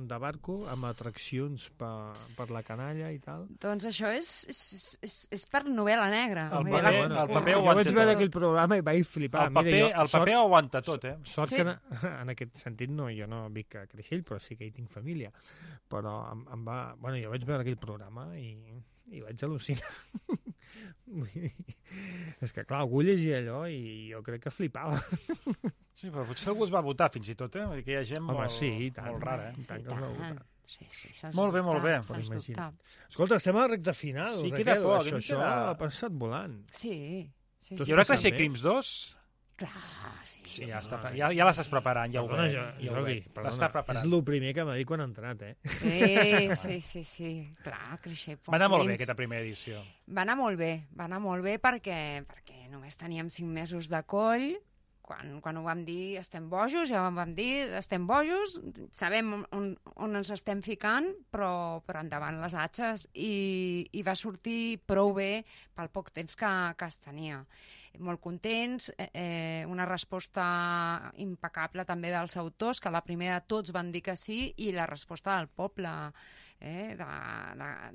de barco amb atraccions per, per la canalla i tal. Doncs això és, és, és, és per novel·la negra. El paper, paper, bueno, el paper jo vaig veure aquell programa i vaig flipar. El paper, Mira, jo, el paper sort, aguanta tot, eh? Sort sí. que en, en aquest sentit no, jo no vic a Creixell, però sí que hi tinc família. Però em, em va... Bueno, jo vaig veure aquell programa i, i vaig al·lucinar. És que, clar, algú llegia allò i jo crec que flipava. Sí, però potser algú es va votar fins i tot, eh? Vull dir que hi ha gent Home, molt, sí, tant, molt rara, eh? Sí, tant que es va votar. Sí, sí, molt bé, molt bé. Escolta, estem a la recta final, sí, Raquel. queda poc, això, això queda... ha passat volant. Sí, sí. Hi haurà Creixell Crims dos? Clar, sí. Sí, ja, està, ja, ja l'estàs preparant, ja ho perdona, veig. jo, Ja Jordi, l'està preparant. És el primer que m'ha dit quan ha entrat, eh? Sí, sí, sí, sí. Clar, Creixell. Va anar molt bé aquesta primera edició. Va anar molt bé, va anar molt bé perquè, perquè només teníem cinc mesos de coll. Quan, quan ho vam dir estem bojos, ja ho vam dir estem bojos, sabem on, on ens estem ficant, però, però endavant les atxes i, i va sortir prou bé pel poc temps que, que es tenia. Molt contents, eh, una resposta impecable també dels autors, que a la primera tots van dir que sí, i la resposta del poble, eh,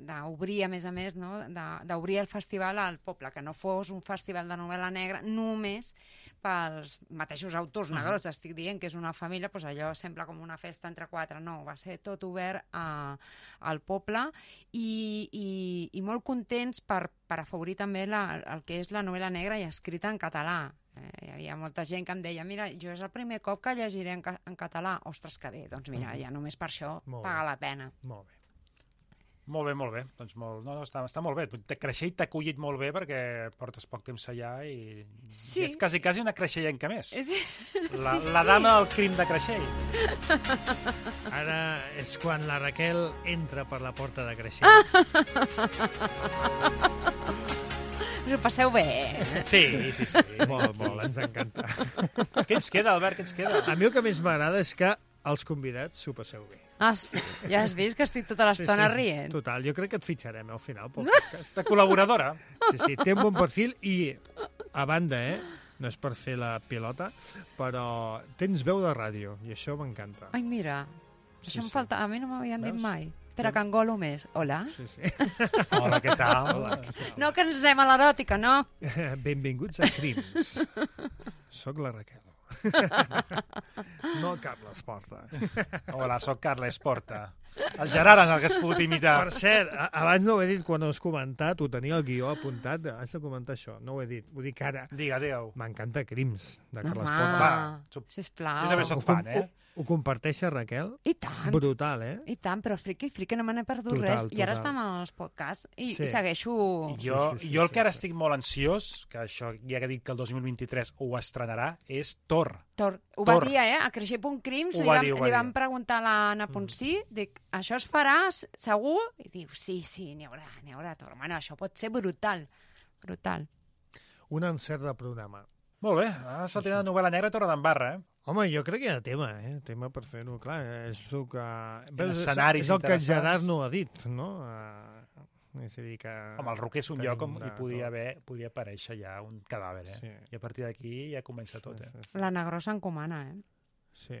d'obrir, a més a més, no? d'obrir el festival al poble, que no fos un festival de novel·la negra només pels mateixos autors negrots. Uh-huh. Estic dient que és una família, doncs allò sembla com una festa entre quatre. No, va ser tot obert a, al poble i, i, i molt contents per, per afavorir també la, el que és la novel·la negra i escrita en català. Eh, hi havia molta gent que em deia, mira, jo és el primer cop que llegiré en, ca en català. Ostres, que bé, doncs mira, uh-huh. ja només per això molt paga bé. La pena. Molt bé. Molt bé, molt bé. Doncs molt, no, no, està, està molt bé. Creixell t'ha acollit molt bé perquè portes poc temps allà i, sí. i ets quasi, quasi una creixellenca més. Sí. La, la dama del crim de Creixell. Ara és quan la Raquel entra per la porta de Creixell. Us ho passeu bé. Sí, sí, sí. Molt, molt, ens encanta. Què ens queda, Albert, què ens queda? A mi el que més m'agrada és que els convidats s'ho passeu bé. Ah, sí. Ja has vist que estic tota l'estona sí, sí. rient. Total, jo crec que et fitxarem al final pel podcast. De col·laboradora. Sí, sí, té un bon perfil i, a banda, eh, no és per fer la pilota, però tens veu de ràdio i això m'encanta. Ai, mira. Sí, Això em sí. falta... A mi no m'havien dit Veus? mai. Espera, que engolo més. Hola? Sí, sí. Hola, què tal? Hola. No que ens anem a l'eròtica, no? Benvinguts a Crims. Soc la Raquel. No Carles Porta. Hola, sóc Carles Porta. El Gerard en el que has pogut imitar. Per cert, a- abans no ho he dit quan ho has comentat, ho tenia el guió apuntat, has de comentar això, no ho he dit, ho dic ara. Digue, digue-ho. M'encanta Crims, de Carles Home, Porta. Clar, sub- sisplau. Jo també soc Ho, fan, eh? ho, ho comparteix a Raquel? I tant. Brutal, eh? I tant, però friqui, friqui, no me n'he perdut Total, res. I ara total. estem als podcasts i, Sí. i segueixo... Jo, sí, sí, jo el sí, que ara sí. estic molt ansiós, que això ja que he dit que el dos mil vint-i-tres ho estrenarà, és Thor. Tor, ho Tor. va dir, eh? A Creixer punt Crims Ho li, va vam, dir, ho va li dir. vam preguntar a l'Anna Ponsí, dic, això es farà s- segur? I diu, sí, sí, n'hi haurà, n'hi haurà Tor. Bueno, això pot ser brutal, brutal. Un encert de programa. Molt bé, ara s'ha tret la novel·la negra Torre d'Embarra, eh? Home, jo crec que hi ha tema, eh? Tema per fer-ho, clar. És el que... Veus, és, escenaris és el que interessants. Gerard no ha dit, no? Uh, és a dir que... Home, el Roquer és un tenim lloc on de hi podia, tot. haver, podia aparèixer ja un cadàver, eh? Sí. I a partir d'aquí ja comença tot, eh? Sí, sí, La Negrosa encomana, eh? sí.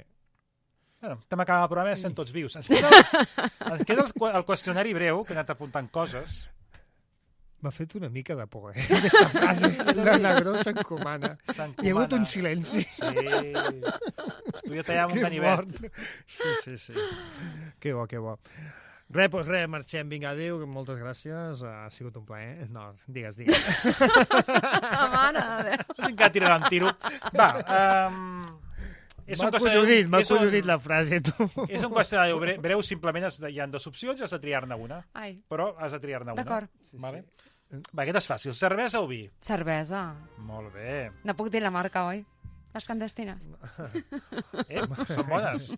Bueno, estem acabant el programa i estem tots vius. Ens queda, el, ens queda el, qu- el qüestionari breu, que he anat apuntant coses. M'ha fet una mica de por, eh? Aquesta frase. La Negrosa encomana. S'encomana. Hi ha hagut un silenci. Sí. Tu ja tallàvem un Que ganivet. fort. Sí, sí, sí. Que bo, que bo. Res, doncs res, marxem. Vinga, adéu, moltes gràcies. Ha sigut un plaer. No, digues, digues. Mare de Déu. Has encara tirar un tiro. Va, um, és M'ha un qüestionari... acollonit, m'ha és un- acollonit la frase, tu. És un qüestionari bre- breu, simplement has de, hi ha dues opcions i has de triar-ne una. Ai, Però has de triar-ne una. D'acord. Vale? Va, aquest és fàcil. Cervesa o vi? cervesa. Molt bé. No puc dir la marca, oi? Les clandestines. Eh, són bones.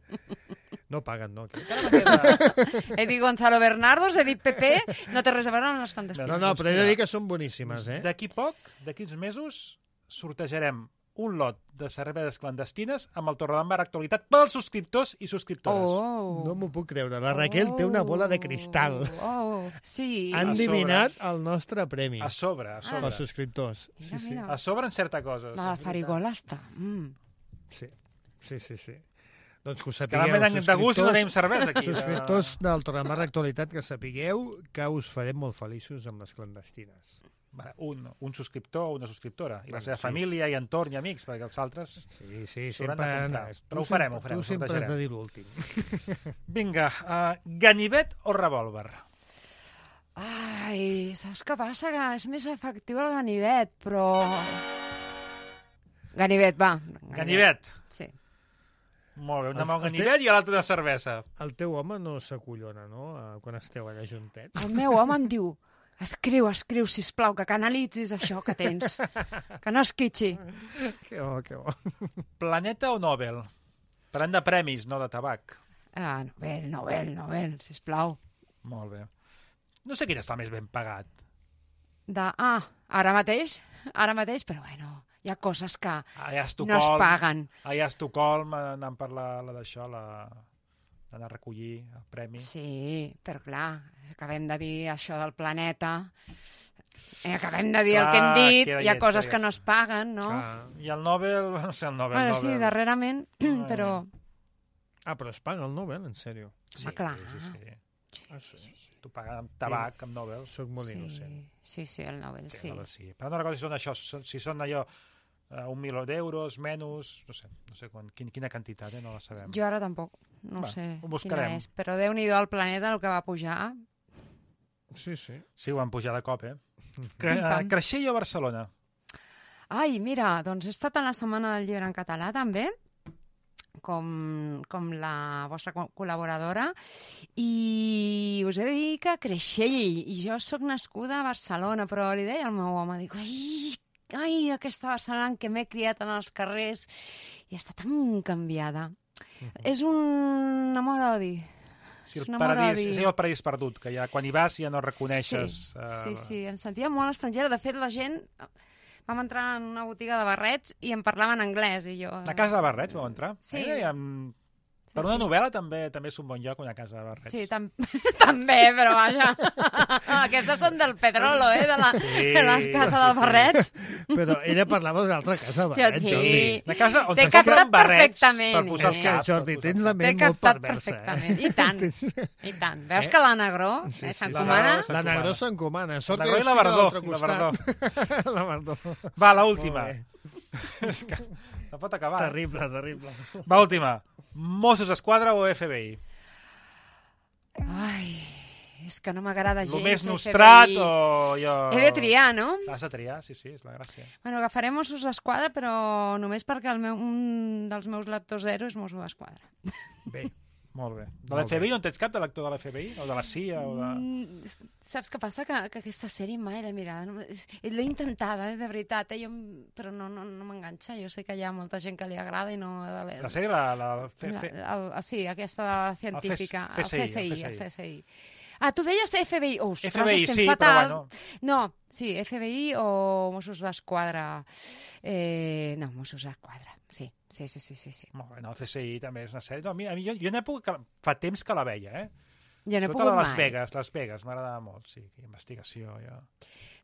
No paguen, no? Crec. Encara me queda... He dit Gonzalo Bernardos, he dit Pepe, no té res a veure amb les No, clandestines. no, però he de dir que són boníssimes, eh? D'aquí poc, d'aquí uns mesos, sortejarem un lot de cerveses clandestines amb el Torredembarra Actualitat pels subscriptors i subscriptores. Oh. No m'ho puc creure. La Raquel té una bola de cristal. Oh, sí. Han A sobre. adivinat el nostre premi A sobre, a sobre. pels subscriptors. Mira, Sí, sí. mira. A sobre en certa coses. La de Farigola està. Mm. Sí, sí, sí. sí. Doncs que ho Que sapigueu, vam de gust i no tenim cervesa aquí. subscriptors del Torredembarra Actualitat, que sapigueu que us farem molt feliços amb les clandestines. Va, Un, un subscriptor o una subscriptora. I la Bueno, seva sí. família i entorn i amics, perquè els altres... Sí, sí, S'hauran sempre... de comprar. tu Però ho sempre- farem, ho farem, Tu ho sempre has de sortejarem. dir l'últim. Vinga, uh, ganivet o revòlver? Ai, saps què passa? Que és més efectiu el ganivet, però... Ganivet, va. Ganivet. Sí. Molt bé, una El- mà un el té- ganivet i l'altra una cervesa. El teu home no s'acollona, no?, eh, quan esteu allà juntets. El meu home em diu, escriu, escriu, sisplau, que canalitzis això que tens. Que no esquitxi. Que bo, que bo. Planeta o Nobel? Parlant de premis, no de tabac. Ah, Nobel, Nobel, Nobel, sisplau. Molt bé. No sé quin està més ben pagat. De, ah, ara mateix, ara mateix, però bueno, hi ha coses que Allà a no Estocolm, es paguen. allà a Estocolm, eh, anant per la, la d'això, la... d'anar a recollir el premi. Sí, però clar, acabem de dir això del planeta, eh, acabem de dir Clar, el que hem dit, queda hi ha lleig, coses queda que no lleig. es paguen, no? Clar. I el Nobel, no sé, el Nobel, Bueno, Nobel. sí, darrerament, però... Ah, però es paga el Nobel, en sèrio? Sí, Home, clar. sí, sí. Ah, sí. Tu pagues amb tabac, amb Nobel. Soc molt Sí, innocent. sí, sí, el Nobel, Sí, sí. Nobel sí. Però no recordo si són això, si són allò uh, un milió d'euros, menys, no sé, no sé quan, quin, quina quantitat, eh? No la sabem. Jo ara tampoc, no Va, sé ho buscarem. quina és, però Déu-n'hi-do al planeta el que va pujar. Sí, sí. Sí, ho van pujar de cop, eh? Cre Pim, pam. uh, Creixell o Barcelona? Ai, mira, doncs he estat a la Setmana del Llibre en català també, com, com la vostra co- col·laboradora, i us he de dir que Creixell, i jo sóc nascuda a Barcelona, però li deia al meu home, dic, ai, ai, aquesta Barcelona en què m'he criat en els carrers, i està tan canviada. És un amor-odi. Si el És un paradís, amor-odi. és el paradís perdut, que ja quan hi vas ja no reconeixes... Sí, eh, sí, sí, em sentia molt estrangera. De fet, la gent... Vam entrar en una botiga de barrets i em parlaven anglès, i jo... A casa de barrets vau entrar? Sí. Eh? Amb... Per una novel·la també també és un bon lloc, una casa de barrets. Sí, tam també, però vaja. Aquestes són del Pedrolo, eh? De la, Sí, de la casa dels barrets. Però ella parlava d'una altra casa de barrets, Sí. Jordi. Una casa on T'he se compren captat barrets perfectament, per posar eh? els És que, caps. Jordi, per posar tens els la T'he ment molt captat perversa. perfectament. Eh? I tant, i tant. Veus que la Negró Sí, eh, sí, s'encomana? sí. La Negró s'encomana. Sort La que Negró i jo la estic a Verdó, l'altre i la costat. La Verdó. caps. Va, l'última. Molt bé. És que no pot acabar. eh? Terrible, terrible. Va, última. Mossos d'Esquadra o F B I? Ai, és que no m'agrada gens. Lo més F B I. nostrat o jo... He de triar, no? Has de triar, sí, sí, és la gràcia. Bueno, agafaré Mossos d'Esquadra, però només perquè el meu, un dels meus lectors zero és Mosso d'Esquadra. Bé. Molt bé. De Molt l'F B I no en tens cap de l'actor de l'F B I? O de la C I A? O de... Mm, saps què passa? Que, que aquesta sèrie mai l'he mirada. No, és- l'he intentada, eh, de veritat, eh, jo, m- però no, no, no m'enganxa. Jo sé que hi ha molta gent que li agrada i no... De La sèrie, la... la, F... la, F... el, el, sí, aquesta de la científica. El C S I, el C S I, el C S I. el C S I. Ah, tu deies F B I. Oh, ostres, F B I, estem sí, però fatal. bueno. No, sí, F B I o Mossos d'Esquadra. Eh, no, Mossos d'Esquadra. Sí, sí, sí, sí, sí, sí. Molt bé, no, el C S I també és una sèrie. No, a mi, a mi jo, jo en època que, fa temps que la veia, eh? Jo no he Sobretot pogut a Las mai. Vegas, Las Vegas, m'agradava molt, sí, investigació, jo...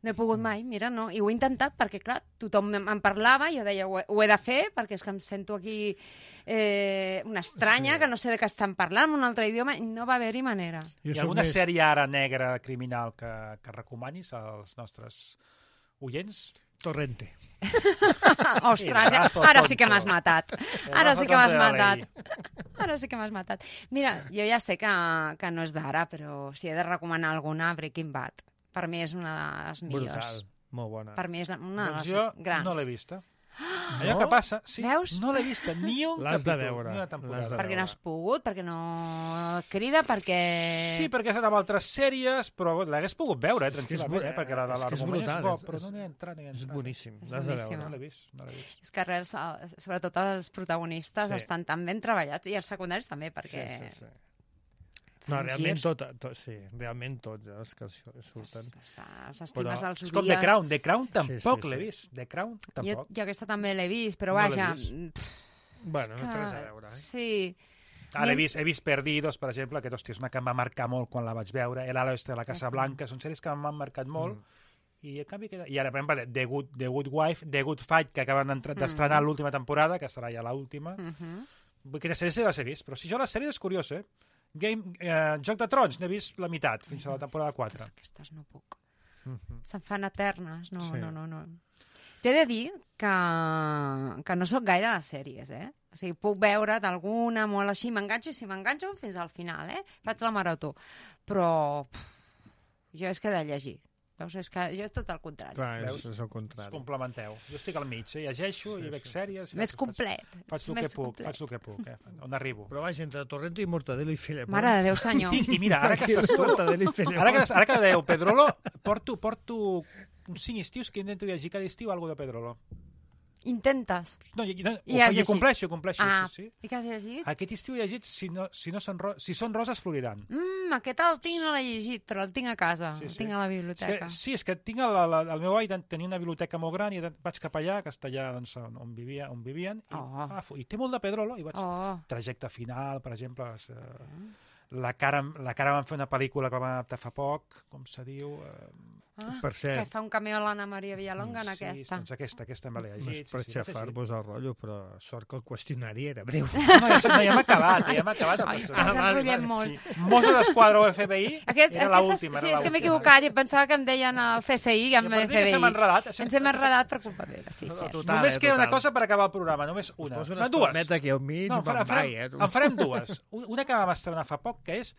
No he pogut mai, mira, no. I ho he intentat perquè, clar, tothom em en parlava i jo deia, ho he, ho he de fer perquè és que em sento aquí eh, una estranya, Sí. que no sé de què estan parlant, un altre idioma, i no va haver-hi manera. Jo Hi ha soc alguna més- sèrie ara negra criminal que, que recomanis als nostres oients? Torrente. Ostres, ja, Pedazo ara sí que tonto. m'has matat. Pedazo Ara sí que m'has tonto de matat. Ara sí que m'has matat. Mira, jo ja sé que, que no és d'ara, però si he de recomanar alguna, Breaking Bad. Per mi és una de les millors. Brutal. Molt bona. Per mi és la, una de Doncs les jo grans. no l'he vista. Allò No? que passa, sí, Veus? no l'he vista ni un L'has de capítol, veure, ni una l'has temporada. de Perquè no has veure. pogut, perquè no crida, perquè... Sí, perquè he estat amb altres sèries, però l'hagués pogut veure, eh, tranquil·lament, bru- eh, perquè la de és que és l'argument és, brutal, bo, és- però no és- n'he entrat, no hi he És entrat. boníssim. És L'has de boníssim. No veure. l'he vist, no l'he vist. És que res, sobretot els protagonistes Sí. estan tan ben treballats, i els secundaris també, perquè... Sí, sí, sí. No, fan realment girs. tot, tot, sí, realment tots eh, els que surten. Els estimes, Però els És com The odies. Crown, The Crown tampoc sí, sí. l'he vist. The Crown Jo, tampoc. jo aquesta també l'he vist, però No l'he vaja... vist. pff, Bueno, és no té que- res a veure, eh? Sí. Ara he vist, he vist Perdidos, per exemple, que hòstia, és una que em va marcar molt quan la vaig veure. El ala oeste de la Casa Blanca, són sèries que m'han marcat molt. Mm. I, en canvi, queda... I ara, per exemple, The Good, The Good Wife, The Good Fight, que acaben d'entrar- Mm. d'estrenar l'última temporada, que serà ja l'última. Uh -huh. Vull que les sèries sí les he vist, però si jo les sèries és curiós, eh? Game, eh, Joc de Trons, n'he vist la meitat, fins a la temporada quatre. Aquestes no puc. Mhm. Se'n fan eternes. No, Sí. no, no, no. T'he de dir que, que no sóc gaire de sèries, eh? O sigui, puc veure d'alguna molt així, m'enganxo i si m'enganxo fins al final, eh? Faig la marató. Però pff, jo és que he de llegir. Veus? És que jo és tot el contrari. Clar, és, Veus? és el Es contrari. complementeu. Jo estic al mig, eh? llegeixo, Sí, i veig sí. sèries... i Més faig- complet. Faig, faig el Més que puc, complet. faig el que puc, eh? On arribo. Però vaja, entre Torrente i Mortadelo i Filemón... Mare de Déu, senyor. I, I mira, ara que estàs tu... Mortadelo i Filemón... Ara que, ara que dèieu Pedrolo, porto, porto uns cinc estius que intento llegir cada estiu alguna de Pedrolo. Intentes. No, i, no, I ho, has i ho llegit? compleixo, ho compleixo, Ah, sí, sí. i què has llegit? Aquest estiu he llegit Si, no, si, no són, ro si són roses, floriran. Mm, aquest el tinc, no l'he llegit, però el tinc a casa. Sí, El sí. tinc a la És biblioteca. que, sí, és que tinc el, el, el meu avi tenia una biblioteca molt gran i vaig cap allà, a Castellà, doncs, on, on, vivia, on vivien, i, Oh. ah, i té molt de Pedrolo, i vaig... Oh, Trajecte final, per exemple, és, eh, la, cara, la cara van fer una pel·lícula que van adaptar fa poc, com se diu... Eh, ah, Per cert. que fa un cameo a l'Anna Maria Villalonga en sí, aquesta. doncs aquesta, aquesta me l'he No és llegit. per sí, sí, no sé si- xafar-vos el rotllo, però sort que el qüestionari era breu. No, ja, no, ja hem acabat, ja hem acabat. Ai, és que Ah, ens vale, enrotllem vale, molt. Sí. Mosso d'Esquadra o F B I Aquest, era aquesta- l'última. Sí, era és que m'he l'última. equivocat i em pensava que em deien el C S I i em Jo per dir que F B I. s'hem enredat, això- Ens hem enredat per culpa meva, sí, No, sí. total. Només eh, queda una total. cosa per acabar el programa, només Us una. poso No, una dues. estormeta aquí al mig, No, no, en farem, van mai, eh? en farem dues. Una que vam estrenar fa poc, que és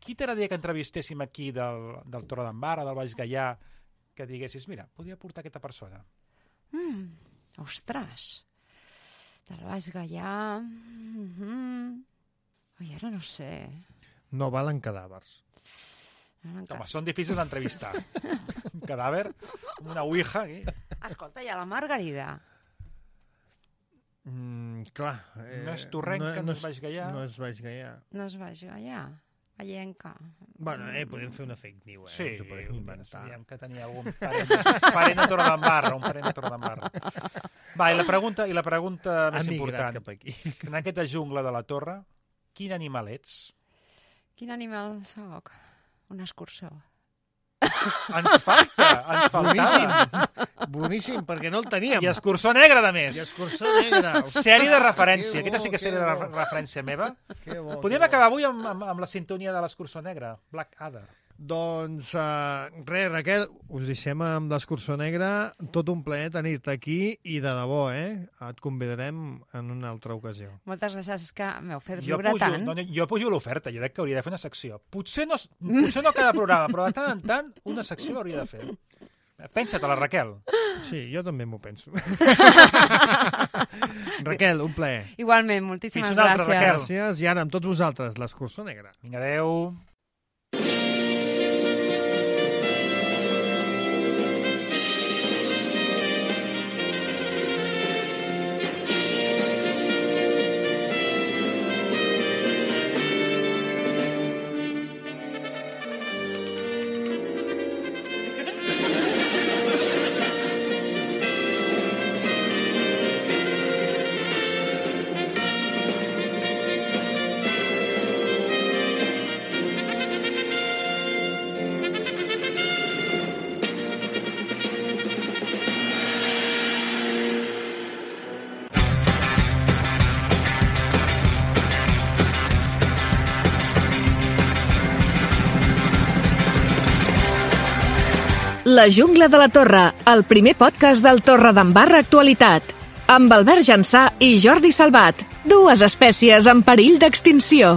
qui t'agradaria que entrevistéssim aquí del, del Torre d'en Barra, del Baix Gaià, que diguessis, mira, podria portar aquesta persona. Mm, ostres. Del Baix Gaià... Mm -hmm. Ui, ara no sé. No valen cadàvers. Ara encara... Home, són difícils d'entrevistar. Un cadàver, una ouija, aquí. Escolta, hi ha la Margarida. Mm, clar. Eh, No és Torrenca, no és Baix Gaià. No és Baix Gaià. No es Baix Gaià. Vallenca. Bueno, eh, podem fer una fake news, eh? Sí, Ens ho podem inventar. sabíem que tenia algun parent, parent a Torredembarra, un parent a Torredembarra. Va, i la pregunta, i la pregunta Ha més migrat important. cap aquí. En aquesta jungla de la torre, quin animal ets? Quin animal soc? Un escurçó. Ens falta, ens faltava. Boníssim, boníssim, perquè no el teníem. I escurçó negre, de més. I escurçó negre. Sèrie de referència. Que bo, Aquesta sí que és que sèrie de bo. re- referència meva. Que bo, Podríem que bo. acabar avui amb, amb, amb la sintonia de l'escurçó negre, Black Adder. Doncs uh, res, Raquel, us deixem amb l'escurçó negre. Tot un plaer tenir-te aquí i de debò, eh? Et convidarem en una altra ocasió. Moltes gràcies, és que m'heu fet Jo riure pujo, tant. no, jo pujo l'oferta, jo crec que hauria de fer una secció. Potser no, potser no cada programa, però de tant en tant una secció hauria de fer. Pensa-te-la, Raquel. Sí, jo també m'ho penso. Raquel, un plaer. Igualment, moltíssimes Fins una altra, gràcies. Raquel. Gràcies. I ara amb tots vosaltres, l'escurçó negre. Vinga, adeu. La jungla de la Torre, el primer podcast del Torredembarra Actualitat. Amb Albert Jansà i Jordi Salvat, dues espècies en perill d'extinció.